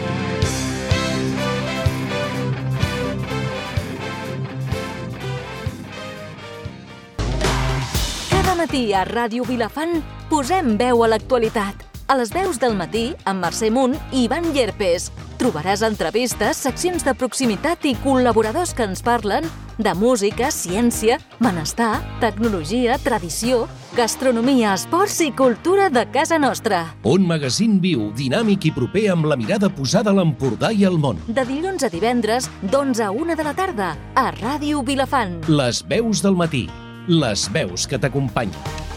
Cada matí a Ràdio Vilafant posem veu a l'actualitat. A les 10 del matí, amb Mercè Munt i Ivan Llerpes. Trobaràs entrevistes, seccions de proximitat i col·laboradors que ens parlen de música, ciència, benestar, tecnologia, tradició, gastronomia, esports i cultura de casa nostra. Un magazín viu, dinàmic i proper amb la mirada posada a l'Empordà i al món. De dilluns a divendres, d'11 a 1 de la tarda, a Ràdio Vilafant. Les veus del matí. Les veus que t'acompanyen.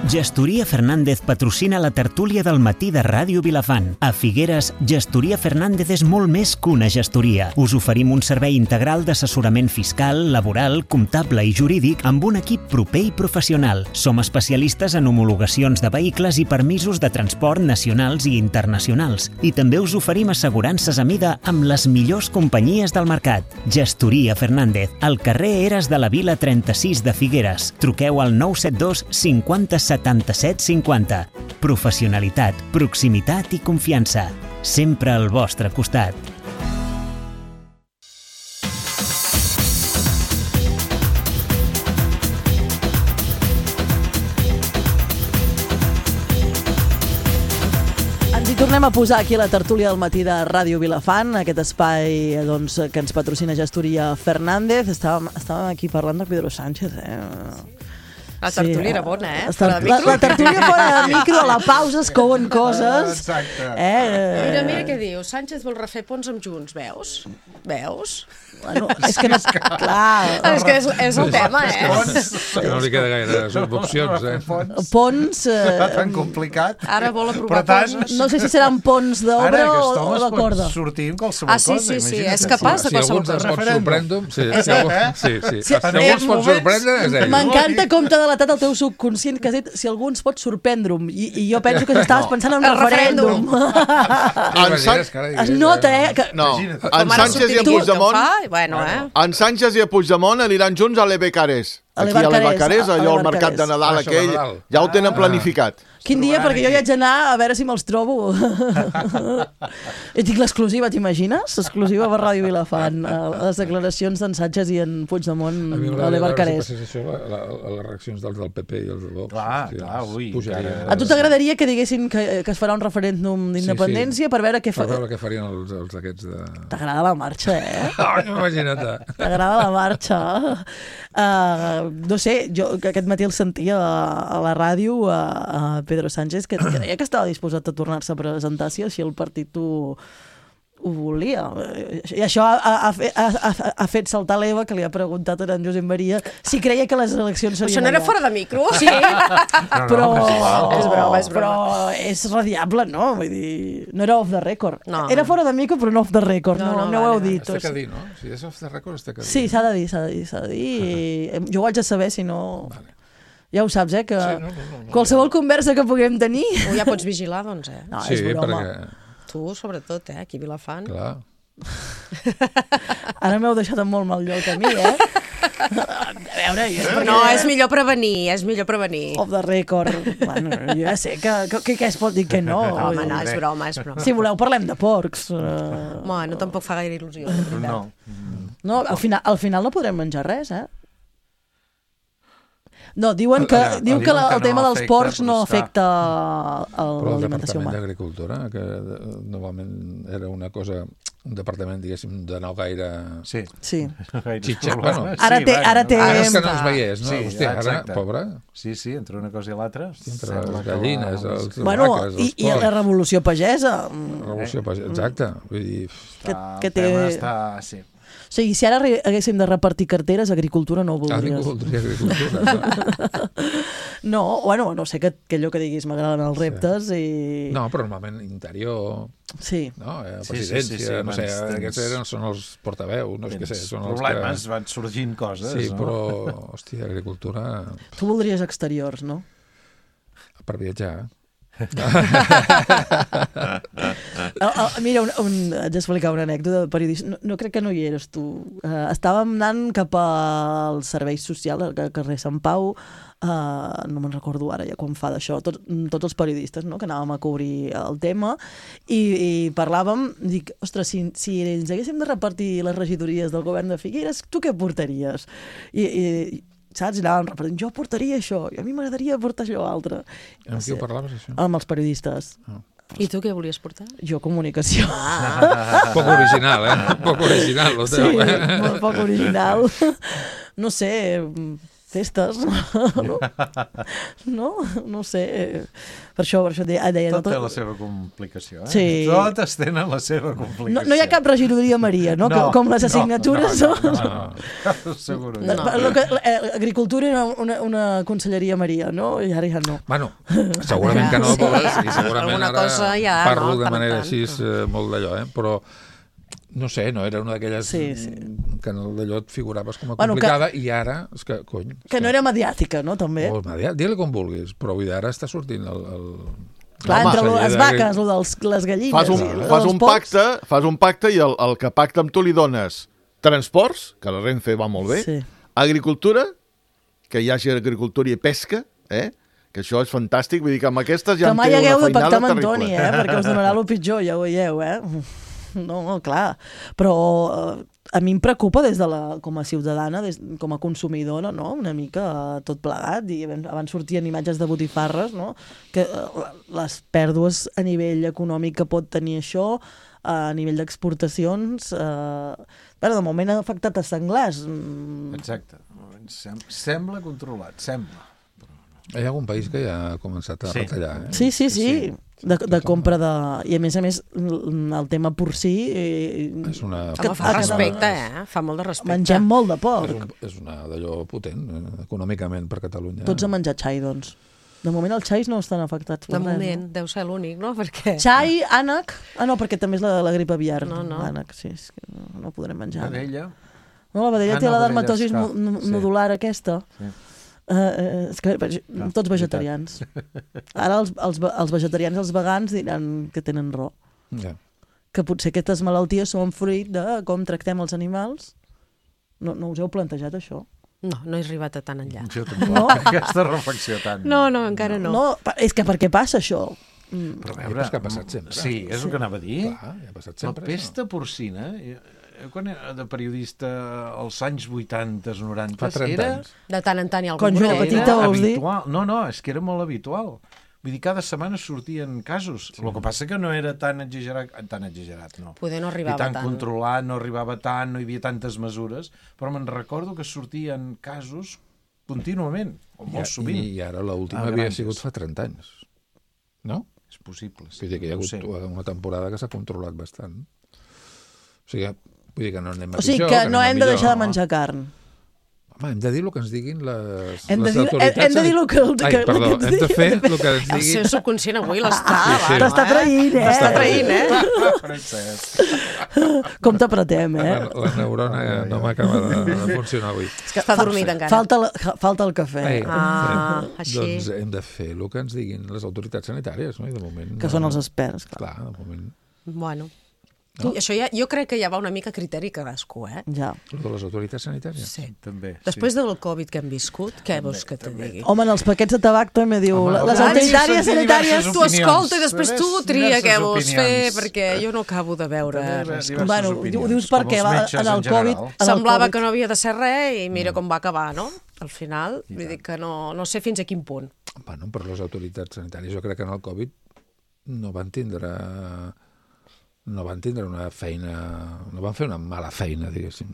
Gestoria Fernández patrocina la tertúlia del matí de Ràdio Vilafant. A Figueres, Gestoria Fernández és molt més que una gestoria. Us oferim un servei integral d'assessorament fiscal, laboral, comptable i jurídic amb un equip proper i professional. Som especialistes en homologacions de vehicles i permisos de transport nacionals i internacionals. I també us oferim assegurances a mida amb les millors companyies del mercat. Gestoria Fernández, al carrer Eres de la Vila 36 de Figueres. Truqueu al 972 50 77 50. Professionalitat, proximitat i confiança. Sempre al vostre costat. Ens hi tornem a posar aquí a la tertúlia del matí de Ràdio Vilafant, aquest espai doncs, que ens patrocina Gestoria Fernández. Estàvem aquí parlant de Pedro Sánchez, La tertúlia era bona, La tertúlia fora de micro, a la pausa es couen coses. Exacte. Mira què diu. Sánchez vol refer ponts amb Junts, veus? Bueno, és que no... Clar. És que és el tema, Que no li queda gaire opcions, Ponts... Està tan complicat. Ara vol aprovar coses. No sé si seran ponts d'obra o de corda. Ara, aquest home es pot sortir amb qualsevol cosa. Sí, és capaç de qualsevol cosa. Si algú ens pot sorprendre, si algú ens pot sorprendre, és ell. M'encanta com t'ha delatat el teu subconscient, que has dit si algú ens pot sorprendre'm. I jo penso que estaves pensant en un referèndum. Es nota, No, en Sánchez i en Puigdemont... En Sánchez i en Puigdemont aniran junts a l'Ebecarés. Aquí a l'Ebecarés, allò al mercat de Nadal aquell, ja ho tenen planificat. Quin dia, perquè jo hi haig d'anar a veure si me'ls trobo. I tinc l'exclusiva, t'imagines? L'exclusiva per Ràdio Vilafant. Les declaracions d'en Sánchez i en Puigdemont a l'Ebecarés. Les reaccions dels del PP i els del Vox. Clar, ui. A tu t'agradaria que diguessin que es farà un referèndum d'independència per veure què per veure què farien els aquests de... T'agrada la marxa, Imagina't. T'agrada la marxa. No sé, jo aquest matí el sentia a la ràdio a Pedro Sánchez, que deia que estava disposat a tornar-se a presentar si el partit ho volia. I això ha fet saltar l'Eva, que li ha preguntat a en Josep Maria si creia que les eleccions serien... Això no era fora de micro? Sí, però... És broma. Però és radiable, no? Vull dir, no era off the record. Era fora de micro, però no off the record. No ho heu dit. Has de dir, no? Si és off the record, has de dir. Sí, s'ha de dir. Jo ho haig de saber, si no... Ja ho saps, que qualsevol conversa que puguem tenir... Ja pots vigilar, doncs, No, és broma. Tu, sobretot, aquí a Vilafant. Clar. Ara m'heu deixat en molt mal lloc a mi, A veure... No, és millor prevenir, Off the record. Bueno, jo ja sé que es pot dir que no. Home, no, és broma. Si voleu, parlem de porcs. Bueno, tampoc fa gaire il·lusió. No, al final no podrem menjar res, No, diuen que el tema dels porcs no afecta l'alimentació humana. Però el Departament d'Agricultura, que normalment era una cosa, un departament, diguéssim, de no gaire... Sí. Xitxa. Ara té... Ara és que no els veiés, no? Hòstia, ara, pobra. Sí, entre una cosa i l'altra. Entre les gallines, els vaques, els porcs. I la revolució pagesa. Revolució pagesa, exacte. Vull dir... Que té... O sigui, si ara haguéssim de repartir carteres, agricultura no ho voldries. Agricultura. No, bueno, no sé que allò que diguis m'agraden els reptes i... No, però normalment interior... Sí. No, presidència, no sé, aquests són els portaveus, no sé què sé. Són els problemes, van sorgint coses, sí, però, hòstia, agricultura... Tu voldries exteriors, no? Per viatjar. Mira, haig d'explicar una anècdota de periodista. No crec que no hi eres tu. Estàvem anant cap al servei social al carrer Sant Pau, no me'n recordo ara ja quan fa d'això, tots els periodistes, no?, que anàvem a cobrir el tema i parlàvem, dic, ostres, si ens haguéssim de repartir les regidories del govern de Figueres, tu què portaries? I saps? I anàvem repetent, jo portaria això, i a mi m'agradaria portar això altre. Amb qui ho parlaves, això? Amb els periodistes. I tu què volies portar? Jo, comunicació. Poc original, Poc original, lo teu, Sí, molt poc original. No sé, festes, no sé. Per això deia... Tot té la seva complicació, Sí. Totes tenen la seva complicació. No hi ha cap regidoria Maria, no? Com les assignatures. Segur. Agricultura era una conselleria Maria, no? I ara ja no. Bueno, segurament que no, i segurament ara parlo de manera així molt d'allò, però no sé, no era una d'aquelles que en d'allò et figuraves com a complicada i ara, és que, cony... Que no era mediàtica, no, també? Digue-li com vulguis, però avui ara està sortint el... Clar, entre les vaques, les gallines... Fas un pacte i el que pacta amb tu li dones transports, que la Renfe va molt bé, agricultura, que hi hagi agricultura i pesca, que això és fantàstic, vull dir que amb aquestes ja en té una feinada terrible. Que mai hagueu de pactar amb Antoni, perquè us donarà el pitjor, ja ho veieu, No, clar, però a mi em preocupa com a ciutadana, com a consumidora, no? Una mica tot plegat, i abans sortien imatges de botifarres, no? Que les pèrdues a nivell econòmic que pot tenir això, a nivell d'exportacions, de moment ha afectat a senglars. Exacte, sembla controlat, sembla. Hi ha algun país que ja ha començat a retallar, Sí. De compra de... I a més, el tema porcí... És una... Fa respecte, fa molt de respecte. Mengem molt de porc. És una d'allò potent, econòmicament, per Catalunya. Tots a menjar xai, doncs. De moment els xais no estan afectats. De moment, deu ser l'únic, no? Perquè... Xai, ànec... No, perquè també és la grip aviar. No. Ànec, sí, és que no podrem menjar. Vedella. No, la vedella té la dermatosi nodular aquesta. Sí. És que tots vegetarians. Ara els vegetarians i els vegans diran que tenen raó. Que potser aquestes malalties són fruit de com tractem els animals. No us heu plantejat això? No he arribat a tan enllà. Jo tampoc, aquesta reflexió tant. No, encara no. És que per què passa això? Però a veure... És que ha passat sempre. Sí, és el que anava a dir. Clar, ha passat sempre. La pesta porcina... Quan era de periodista als anys 80, 90... Fa 30 anys. De tant en tant hi ha algun Quan jo era petita, vols dir? No, és que era molt habitual. Vull dir, cada setmana sortien casos. El que passa que no era tan exagerat, no. Poder no arribava tant. I tan controlat, no arribava tant, no hi havia tantes mesures, però me'n recordo que sortien casos contínuament, o molt sovint. I ara l'última havia sigut fa 30 anys, no? És possible. Vull dir que hi ha hagut una temporada que s'ha controlat bastant. O sigui, vull dir que no anem a pitjor. O sigui que no hem de deixar de menjar carn. Home, hem de dir el que ens diguin les autoritats. Hem de dir el que ens diguin. Perdó, hem de fer el que ens diguin. El seu subconscient avui l'està... T'està traint, T'està traint, Com t'apretem, La neurona no m'acaba de funcionar avui. És que està dormit encara. Falta el cafè. Així. Doncs hem de fer el que ens diguin les autoritats sanitàries, no? I de moment... Que són els experts, clar. Clar, de moment... Bueno... Això jo crec que ja va una mica a criteri cadascú, Ja. De les autoritats sanitàries? Sí. També. Després del Covid que hem viscut, què vols que te digui? Home, en els paquets de tabac també diu... Les autoritats sanitàries... Tu escolta i després tu tria què vols fer, perquè jo no acabo de veure... Bueno, ho dius perquè en el Covid... Semblava que no havia de ser res i mira com va acabar, no? Al final, vull dir que no sé fins a quin punt. Bueno, per les autoritats sanitàries, jo crec que en el Covid no van tindre una feina... No van fer una mala feina, diguéssim.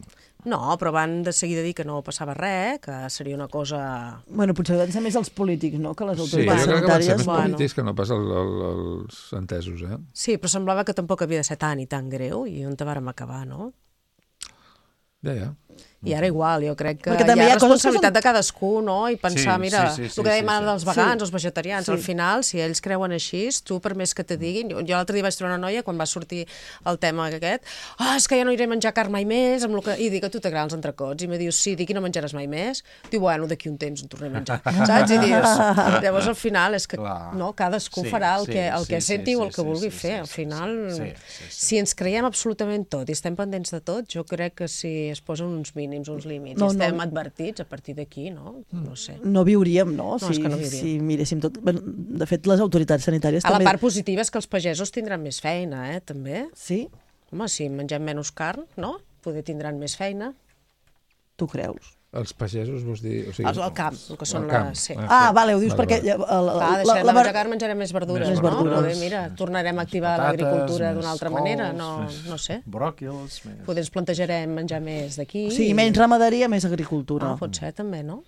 No, però van de seguida dir que no passava res, que seria una cosa... Bueno, potser van ser més els polítics, no?, que les autoritats sanitàries. Sí, jo crec que van ser més polítics que no pas els entesos, Sí, però semblava que tampoc havia de ser tan i tan greu, i on te vàrem acabar, no? Ja. I ara igual, jo crec que hi ha responsabilitat de cadascú, no? I pensar, mira, el que dèiem ara dels vegans, els vegetarians, al final, si ells creuen així, tu per més que te diguin... Jo l'altre dia vaig trobar una noia, quan va sortir el tema aquest, és que ja no iré a menjar carn mai més, i dic, a tu t'agraden els entrecots, i me dius, sí, dic, i no menjaràs mai més? Diu, bueno, d'aquí un temps en tornaré a menjar, saps? I dius, llavors al final és que, no, cadascú farà el que senti o el que vulgui fer, al final, si ens creiem absolutament tot i estem pendents de tot, jo crec que si es posen uns mínims, uns límits, i estem advertits a partir d'aquí, no? No sé. No viuríem, no? No, és que no viuríem. Si miréssim tot... De fet, les autoritats sanitàries també... La part positiva és que els pagesos tindran més feina, també. Sí? Home, si mengem menys carn, no? Poder tindran més feina. Tu creus? Els pagesos, vols dir... El camp, el que són les... Vale, ho dius perquè... Deixarem de menjar carn, menjarem més verdures, no? Mira, tornarem a activar l'agricultura d'una altra manera, no sé. Bròquils... Potser ens plantejarem menjar més d'aquí. O sigui, menys ramaderia, més agricultura. Pot ser, també, no?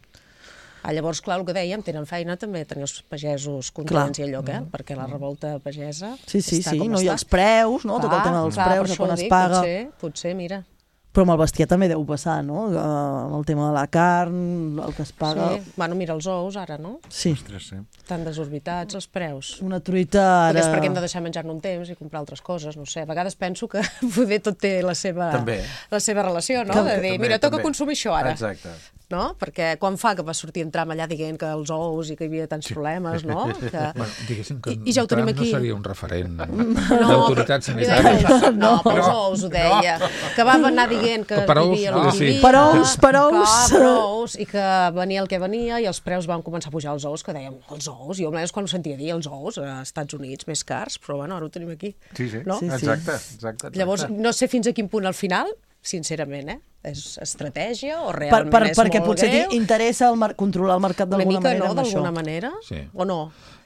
Llavors, clar, el que dèiem, tenen feina també tenir els pagesos contents i allò, perquè la revolta pagesa està com està. I els preus, no? Tot el tema dels preus, de quan es paga. Potser, mira. Però amb el bestiar també deu passar, no? Amb el tema de la carn, el que es paga... Sí, bueno, mira els ous ara, no? Sí. Tan desorbitats els preus. Una truita ara... Potser és perquè hem de deixar menjar-ne un temps i comprar altres coses, no sé. A vegades penso que poder tot té la seva relació, no? De dir, mira, toca consumir això ara. Exacte. No? Perquè quan fa que va sortir en Trump allà dient que els ous i que hi havia tants problemes, no? Diguéssim que ja Trump no seria un referent d'autoritat sanitària. No, pels ous ho deia. Que va anar dient que vivia el que vivia. Per ous. I que venia el que venia i els preus van començar a pujar els ous, que dèiem, els ous, jo almenys quan ho sentia dir, els ous als Estats Units més cars, però bueno, ara ho tenim aquí. Sí, exacte. Llavors, no sé fins a quin punt al final, sincerament, és estratègia o realment és molt greu? Perquè potser t'interessa controlar el mercat d'alguna manera amb això. D'alguna manera, o no?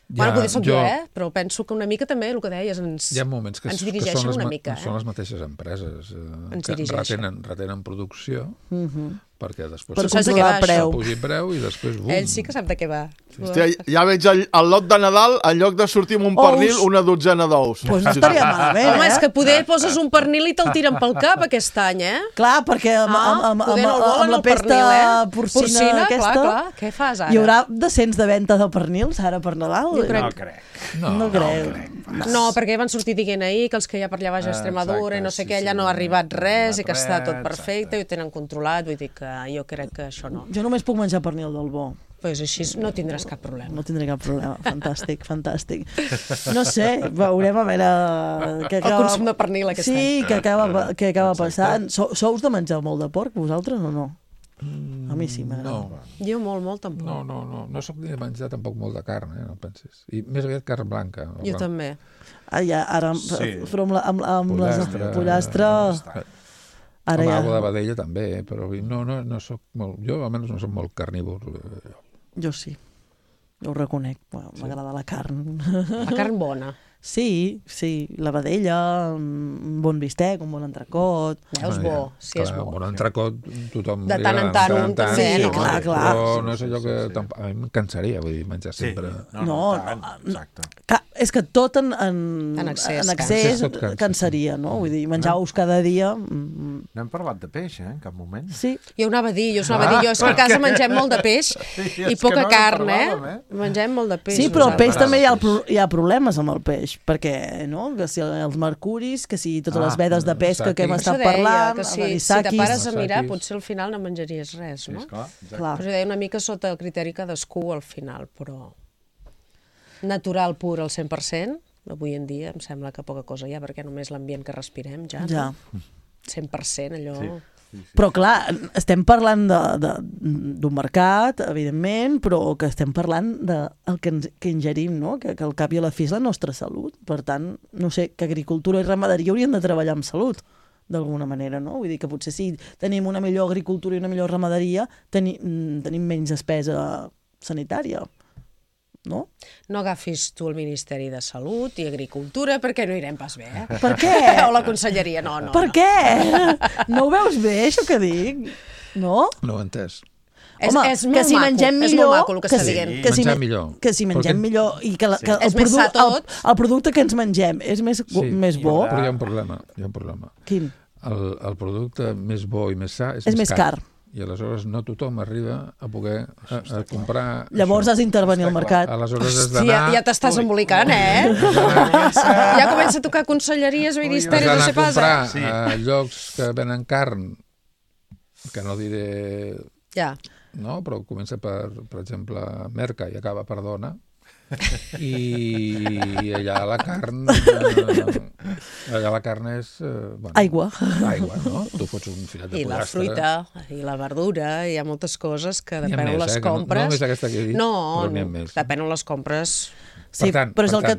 Bueno, potser soc jo, però penso que una mica també el que deies ens dirigeixen una mica. Són les mateixes empreses que retenen producció perquè després pugi preu i després bum. Ell sí que sap de què va. Hòstia, ja veig el lot de Nadal, en lloc de sortir amb un pernil, una dotzena d'ous. Pues no estaria malament, Home, és que poder poses un pernil i te'l tiren pel cap aquest any, Clar, perquè amb la pesta porcina aquesta... Què fas ara? Hi haurà descens de venda de pernils ara per Nadal? Jo crec. No crec. No, perquè van sortir dient ahir que els que hi ha per allà baix a Extremadura i no sé què, allà no ha arribat res i que està tot perfecte i ho tenen controlat, vull dir que jo crec que això no. Jo només puc menjar pernil del bo. Doncs així no tindràs cap problema. No tindré cap problema. Fantàstic. No sé, veurem a veure... El consum de pernil aquest any. Sí, què acaba passant. Sous de menjar molt de porc, vosaltres o no? A mi sí m'agrada. Jo molt tampoc. No soc ni de menjar tampoc molt de carn, no pensis. I més aviat carn blanca. Jo també. Ara, però amb les pollastres... Amb alguna de vedella també, però no soc molt... Jo almenys no soc molt carnívor. Jo sí, jo ho reconec. M'agrada la carn. La carn bona. Sí, la vedella, un bon bistec, un bon entrecot. Veus bo, sí és bo. Un bon entrecot tothom... De tant en tant un també, no? Clar. Però no és allò que... A mi em cansaria, vull dir, menjar sempre... No, és que tot en excés cansaria, no? Vull dir, menjar ous cada dia... No hem parlat de peix, en cap moment. Sí. Jo anava a dir, és que a casa mengem molt de peix i poca carn, Mengem molt de peix. Sí, però el peix també hi ha problemes amb el peix, perquè, no?, que si els mercuris, que si totes les vedes de pesca que hem estat parlant, els anisakis... Si te pares a mirar, potser al final no menjaries res, no? Clar. Però deia una mica sota el criteri cadascú al final, però natural pur al 100%, avui en dia em sembla que poca cosa hi ha, perquè només l'ambient que respirem ja. 100% allò... Però clar, estem parlant d'un mercat, evidentment, però que estem parlant del que ingerim, no? Que al cap i a la fi és la nostra salut. Per tant, no sé, que agricultura i ramaderia haurien de treballar amb salut, d'alguna manera, no? Vull dir que potser si tenim una millor agricultura i una millor ramaderia, tenim menys despesa sanitària. No? No agafis tu el Ministeri de Salut i Agricultura perquè no irem pas bé, Per què? O la Conselleria, no. Per què? No ho veus bé, això que dic? No? No ho he entès. Home, que si mengem millor... És molt maco el que està dient. Menjar millor. Que si mengem millor i que el producte que ens mengem és més bo... Però hi ha un problema. Quin? El producte més bo i més sa és més car. I aleshores no tothom arriba a poder comprar... Llavors has d'intervenir al mercat. Aleshores has d'anar... Ja t'estàs embolicant, Ja comença a tocar conselleries, ministeris, no sé pas. Has d'anar a comprar a llocs que venen carn, que no diré... Ja. No, però comença per exemple, Merca i acaba per Dona, i allà la carn és... Aigua, no? Tu fots un filet de pollastre. I la fruita, i la verdura, hi ha moltes coses que depèn on les compres. No només aquesta que he dit, però n'hi ha més. Depèn on les compres. Sí, però és el que...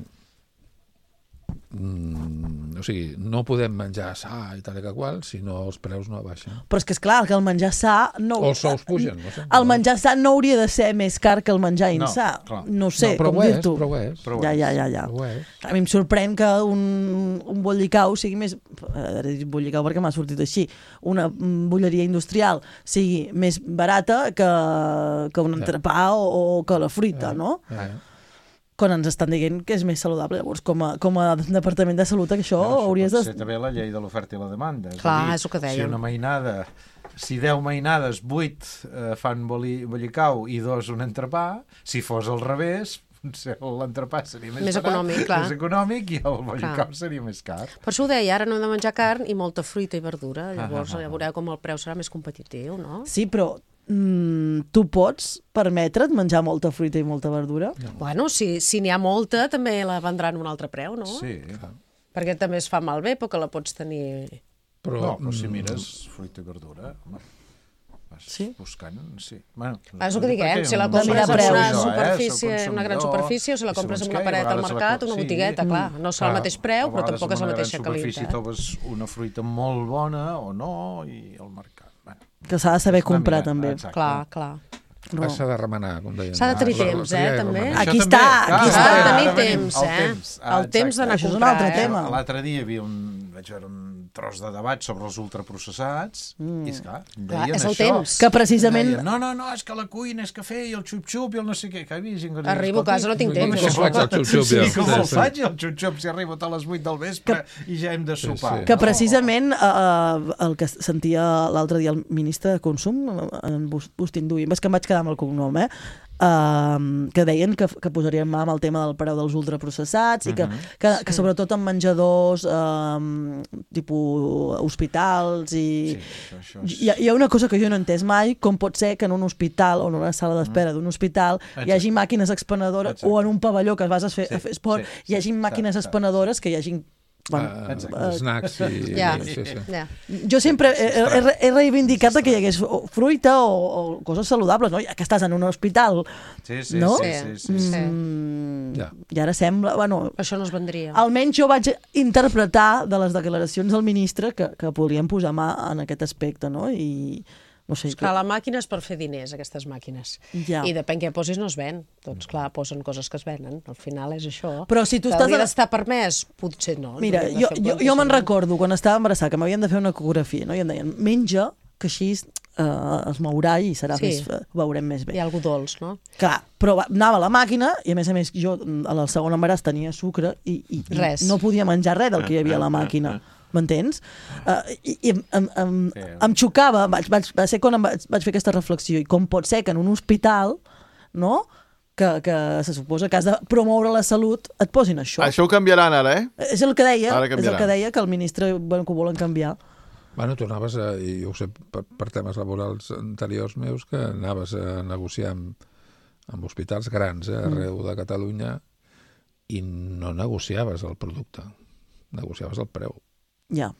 o sigui, no podem menjar sa i tal i qual si no els preus no baixen. Però és que és clar, que el menjar sa... O els sous pugen, no sé. El menjar sa no hauria de ser més car que el menjar insà. No sé, com dir-t'ho. Però ho és. Ja. A mi em sorprèn que un bollicau sigui més... Bollicau perquè m'ha sortit així. Una bolleria industrial sigui més barata que un entrepà o que la fruita, no? Quan ens estan dient que és més saludable. Llavors, com a Departament de Salut, això hauries de... Pot ser també la llei de l'oferta i la demanda. Clar, és el que dèiem. Si una mainada, si 10 mainades, 8 fan bollicau i 2 un entrepà, si fos al revés, l'entrepà seria més econòmic, clar. Més econòmic i el bollicau seria més car. Per això ho deia, ara no hem de menjar carn i molta fruita i verdura. Llavors ja veureu com el preu serà més competitiu, no? Sí, però tu pots permetre't menjar molta fruita i molta verdura? Bueno, si n'hi ha molta, també la vendran a un altre preu, no? Sí. Perquè també es fa malbé, perquè la pots tenir... Però si mires fruita i verdura, vas buscant, sí. És el que diguem, si la compres en una superfície, una gran superfície, o si la compres en una paret al mercat, una botigueta, clar, no serà el mateix preu, però tampoc és la mateixa qualitat. A superfície trobes una fruita molt bona o no, i al mercat. Que s'ha de saber comprar, també. Clar. S'ha de remenar, com deien. S'ha de tenir temps, també. Aquí està. S'ha de tenir temps, el temps d'anar a comprar. Això és un altre tema. L'altre dia vaig veure un tros de debat sobre els ultraprocessats, i esclar, deien és el això. temps. Que precisament... No, és que la cuina és cafè i el xup-xup i el no sé què. Arribo a casa, no tinc temps. Com el faig, el xup-xup, si arribo a les 8 del vespre i ja hem de sopar. Que precisament el que sentia l'altre dia el ministre de Consum, en Bustin Duy, és que em vaig quedar amb el cognom, que deien que posarien mà amb el tema del preu dels ultraprocessats i que sobretot en menjadors tipus hospitals i hi ha una cosa que jo no he entès mai, com pot ser que en un hospital o en una sala d'espera d'un hospital hi hagi màquines expenedores o en un pavelló que vas a fer esport hi hagi màquines expenedores que hi hagi snacks i... Jo sempre he reivindicat que hi hagués fruita o coses saludables, no? Que estàs en un hospital, no? I ara sembla... Això no es vendria. Almenys jo vaig interpretar de les declaracions del ministre que volien posar mà en aquest aspecte, no? I... No sé, clar, la màquina és per fer diners, aquestes màquines. I depèn què posis no es ven. Doncs clar, posen coses que es venen. Al final és això. Però si tu estàs... Hauria d'estar permès? Potser no. Mira, jo me'n recordo quan estava embarassada que m'havien de fer una ecografia, no? I em deien, menja, que així es mourà i serà més, ho veurem més bé. Hi ha algú dolç, no? Clar, però anava a la màquina i a més jo al segon embaràs tenia sucre i no podia menjar res del que hi havia a la màquina. M'entens? I em xocava, va ser quan vaig fer aquesta reflexió, i com pot ser que en un hospital, no?, que se suposa que has de promoure la salut, et posin això. Això ho canviaran ara, És el que deia, que el ministre que ho volen canviar. Bueno, tu anaves, i jo ho sé per temes laborals anteriors meus, que anaves a negociar amb hospitals grans arreu de Catalunya i no negociaves el producte, negociaves el preu. Ja.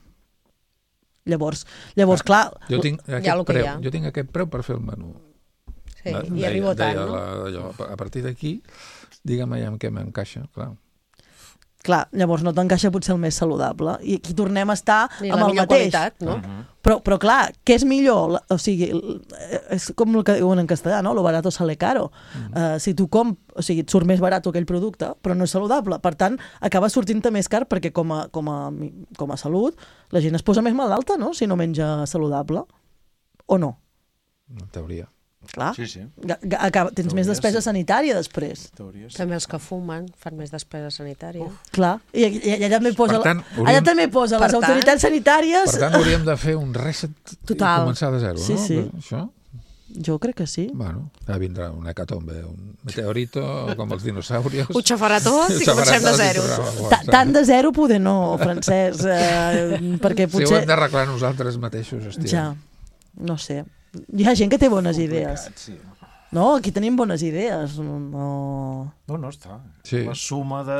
Llavors clar... Jo tinc aquest preu per fer el menú. Sí, i arribo tant, no? A partir d'aquí, digue'm allà amb què m'encaixa, clar. Clar, llavors no t'encaixa potser el més saludable. I aquí tornem a estar amb el mateix. Qualitat, no? Però clar, què és millor? O sigui, és com el que diuen en castellà, no? Lo barato sale caro. Si tu et surt més barat aquell producte, però no és saludable. Per tant, acaba sortint-te més car perquè com a salut la gent es posa més malalta, no? Si no menja saludable. O no? En teoria. Clar, sí. Tens més despesa sanitària després. També els que fumen fan més despesa sanitària. Clar, i allà també posa les autoritats sanitàries... Per tant, hauríem de fer un reset i començar de zero, no? Sí. Això? Jo crec que sí. Bueno, ja vindrà una hecatombe, un meteorito, com els dinosaurios. Ho xafarà tot i comencem de zero. Tant de zero poder no, Francesc, perquè potser... Si ho hem d'arreglar nosaltres mateixos, hòstia. Ja, no sé. Hi ha gent que té bones idees. No, aquí tenim bones idees. No està. La suma de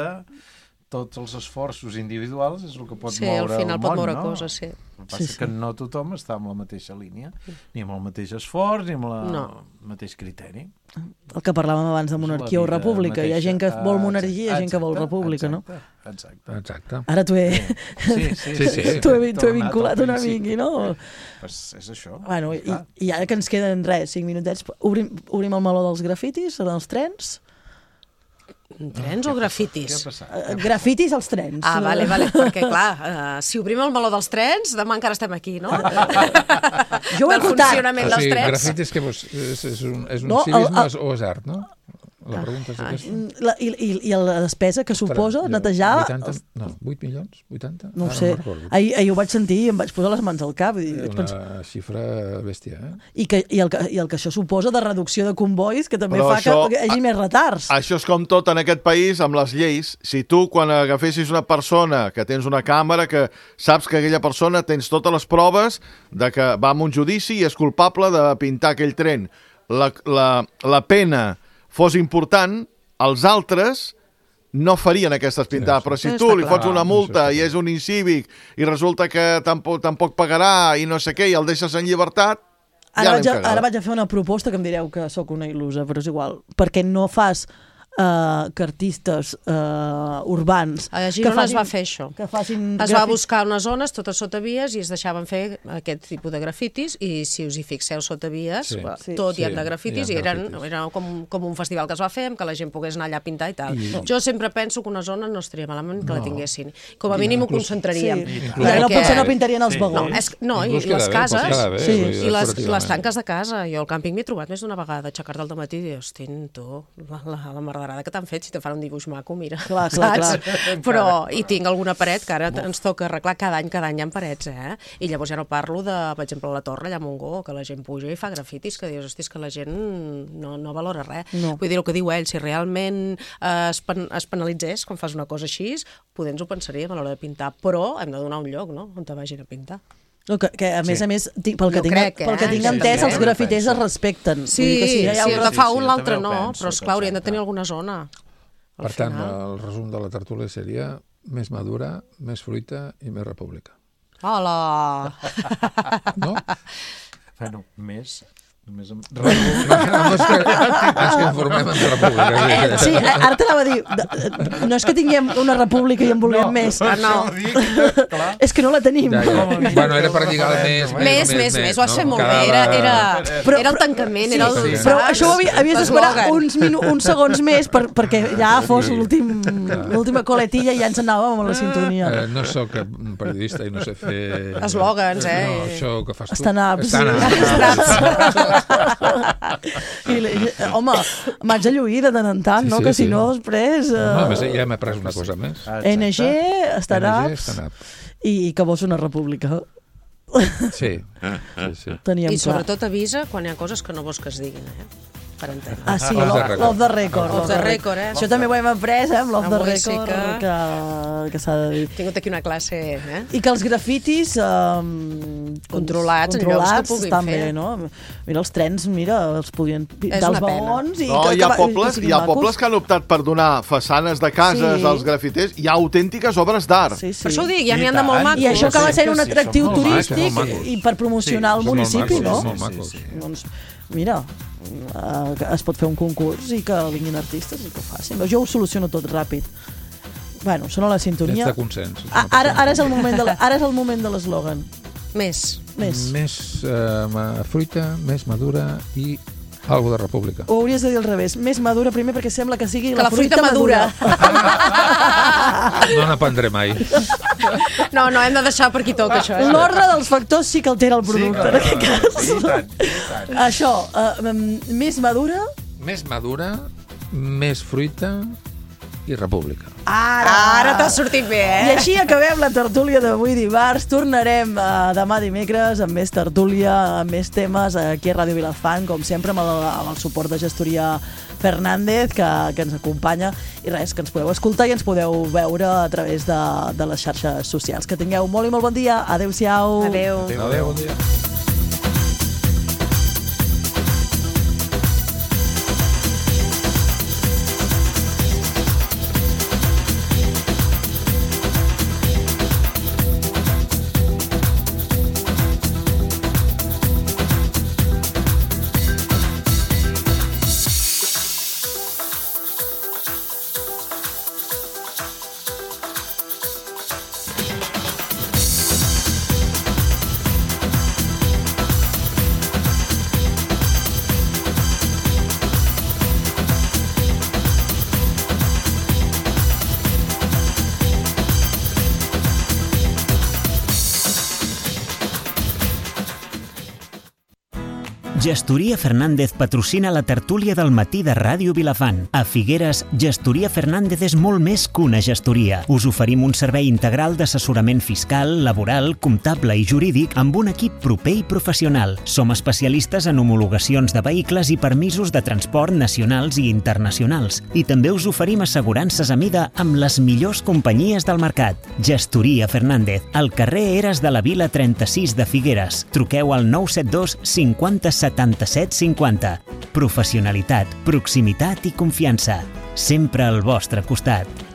tots els esforços individuals és el que pot moure el món, no? Sí, al final pot moure coses, sí. El que passa és que no tothom està amb la mateixa línia, ni amb el mateix esforç, ni amb el mateix criteri. El que parlàvem abans de monarquia o república. Hi ha gent que vol monarquia i hi ha gent que vol república, no? Exacte. Ara t'ho he vinculat una mica, no? És això. Bueno, i ara que ens queden 5 minutets, obrim el meló dels grafitis, dels trens. Trens o grafitis? Grafitis als trens. Ah, vale, perquè clar, si obrim el meló dels trens, demà encara estem aquí, no? Jo ho he notat. El funcionament dels trens. Grafitis és un civisme o és art, no? La pregunta és aquesta. I la despesa que suposa netejar... 8 milions? 80? No ho sé. Ahir ho vaig sentir i em vaig posar les mans al cap. Una xifra bèstia, I el que això suposa de reducció de convois, que també fa que hi hagi més retards. Això és com tot en aquest país, amb les lleis. Si tu, quan agafessis una persona que tens una càmera, que saps que aquella persona tens totes les proves de que va a un judici i és culpable de pintar aquell tren, la pena fos important, els altres no farien aquestes pintades. Però si tu li fots una multa i és un incívic i resulta que tampoc pagarà i no sé què i el deixes en llibertat, ara vaig a fer una proposta que em direu que sóc una il·lusa, però és igual. Perquè no fas cartistes urbans. A Girona es va fer això. Es va buscar unes zones totes sota vies i es deixaven fer aquest tipus de grafitis i si us hi fixeu sota vies tot hi ha de grafitis i era com un festival que es va fer amb que la gent pogués anar allà a pintar i tal. Jo sempre penso que una zona no estaria malament que la tinguessin. Com a mínim ho concentraríem. Potser no pintarien els vagons. No, i les cases i les tanques de casa. Jo al càmping m'he trobat més d'una vegada aixecar-te al dematí i dir, hosti, tu, la merda que t'han fet, si te fan un dibuix maco, mira, saps? Però hi tinc alguna paret que ara ens toca arreglar cada any hi ha parets, I llavors ja no parlo de, per exemple, la torre allà a Montgó, que la gent puja i fa grafitis, que dius, hosti, és que la gent no valora res. Vull dir, el que diu ell, si realment es penalitzés quan fas una cosa així, potser ens ho pensaríem a l'hora de pintar, però hem de donar un lloc, no?, on te vagin a pintar. Que a més, pel que tinc entès, els grafiters es respecten. Sí, el que fa un, l'altre no, però esclar, haurien de tenir alguna zona. Per tant, el resum de la tertúlia seria més madura, més fruita i més república. Hola! No? Bueno, més... Ens conformem en república. Sí, ara t'anava a dir, no és que tinguem una república i en vulguem més. No. És que no la tenim. Bueno, era per lligar el més. Ho has fet molt bé. Era el tancament, era el... Però això havies d'esperar uns segons més perquè ja fos l'última coletilla i ja ens anàvem a la sintonia. No soc periodista i no sé fer... Eslògans, No, això que fas tu. Stand-ups. Home, m'haig de lluir de tant en tant, no? Que si no després... Ja m'he pres una cosa més. NG, stand-ups i que vols una república. Sí. I sobretot avisa quan hi ha coses que no vols que es diguin, per entendre. Ah, sí, l'off the record. Això també ho hem après, amb l'off the record, que s'ha de dir. He tingut aquí una classe, I que els grafitis controlats en llocs que puguin també, fer. No? Mira, els trens, els podien pintar els vagons. No, hi ha pobles que han optat per donar façanes de cases als grafiters. Hi ha autèntiques obres d'art. Per això ho dic, ja n'hi ha de molt macos. I això acaba sent un atractiu turístic i per promocionar el municipi, no? Doncs, mira, es pot fer un concurs i que vinguin artistes i que ho facin. Jo ho soluciono tot ràpid. Bueno, sona la sintonia. Tens de consens. Ara és el moment de l'eslògan. Més fruita, més madura i algo de república. Ho hauries de dir al revés. Més madura primer perquè sembla que sigui la fruita madura. No n'aprendré mai. No, hem de deixar per aquí tot, això. L'ordre dels factors sí que altera el producte, en aquest cas. Això, més madura... Més madura, més fruita i república. Ara t'ha sortit bé, I així acabem la tertúlia d'avui dimarts. Tornarem demà dimecres amb més tertúlia, amb més temes aquí a Ràdio Vilafant, com sempre amb el suport de Gestoria Fernández que ens acompanya i res, que ens podeu escoltar i ens podeu veure a través de les xarxes socials. Que tingueu molt i molt bon dia. Adéu-siau. Adéu, bon dia. Gestoria Fernández patrocina la tertúlia del matí de Ràdio Vilafant. A Figueres, Gestoria Fernández és molt més que una gestoria. Us oferim un servei integral d'assessorament fiscal, laboral, comptable i jurídic amb un equip proper i professional. Som especialistes en homologacions de vehicles i permisos de transport nacionals i internacionals. I també us oferim assegurances a mida amb les millors companyies del mercat. Gestoria Fernández, al carrer Eres de la Vila 36 de Figueres. Truqueu al 972 50 77 50. Professionalitat, proximitat i confiança. Sempre al vostre costat.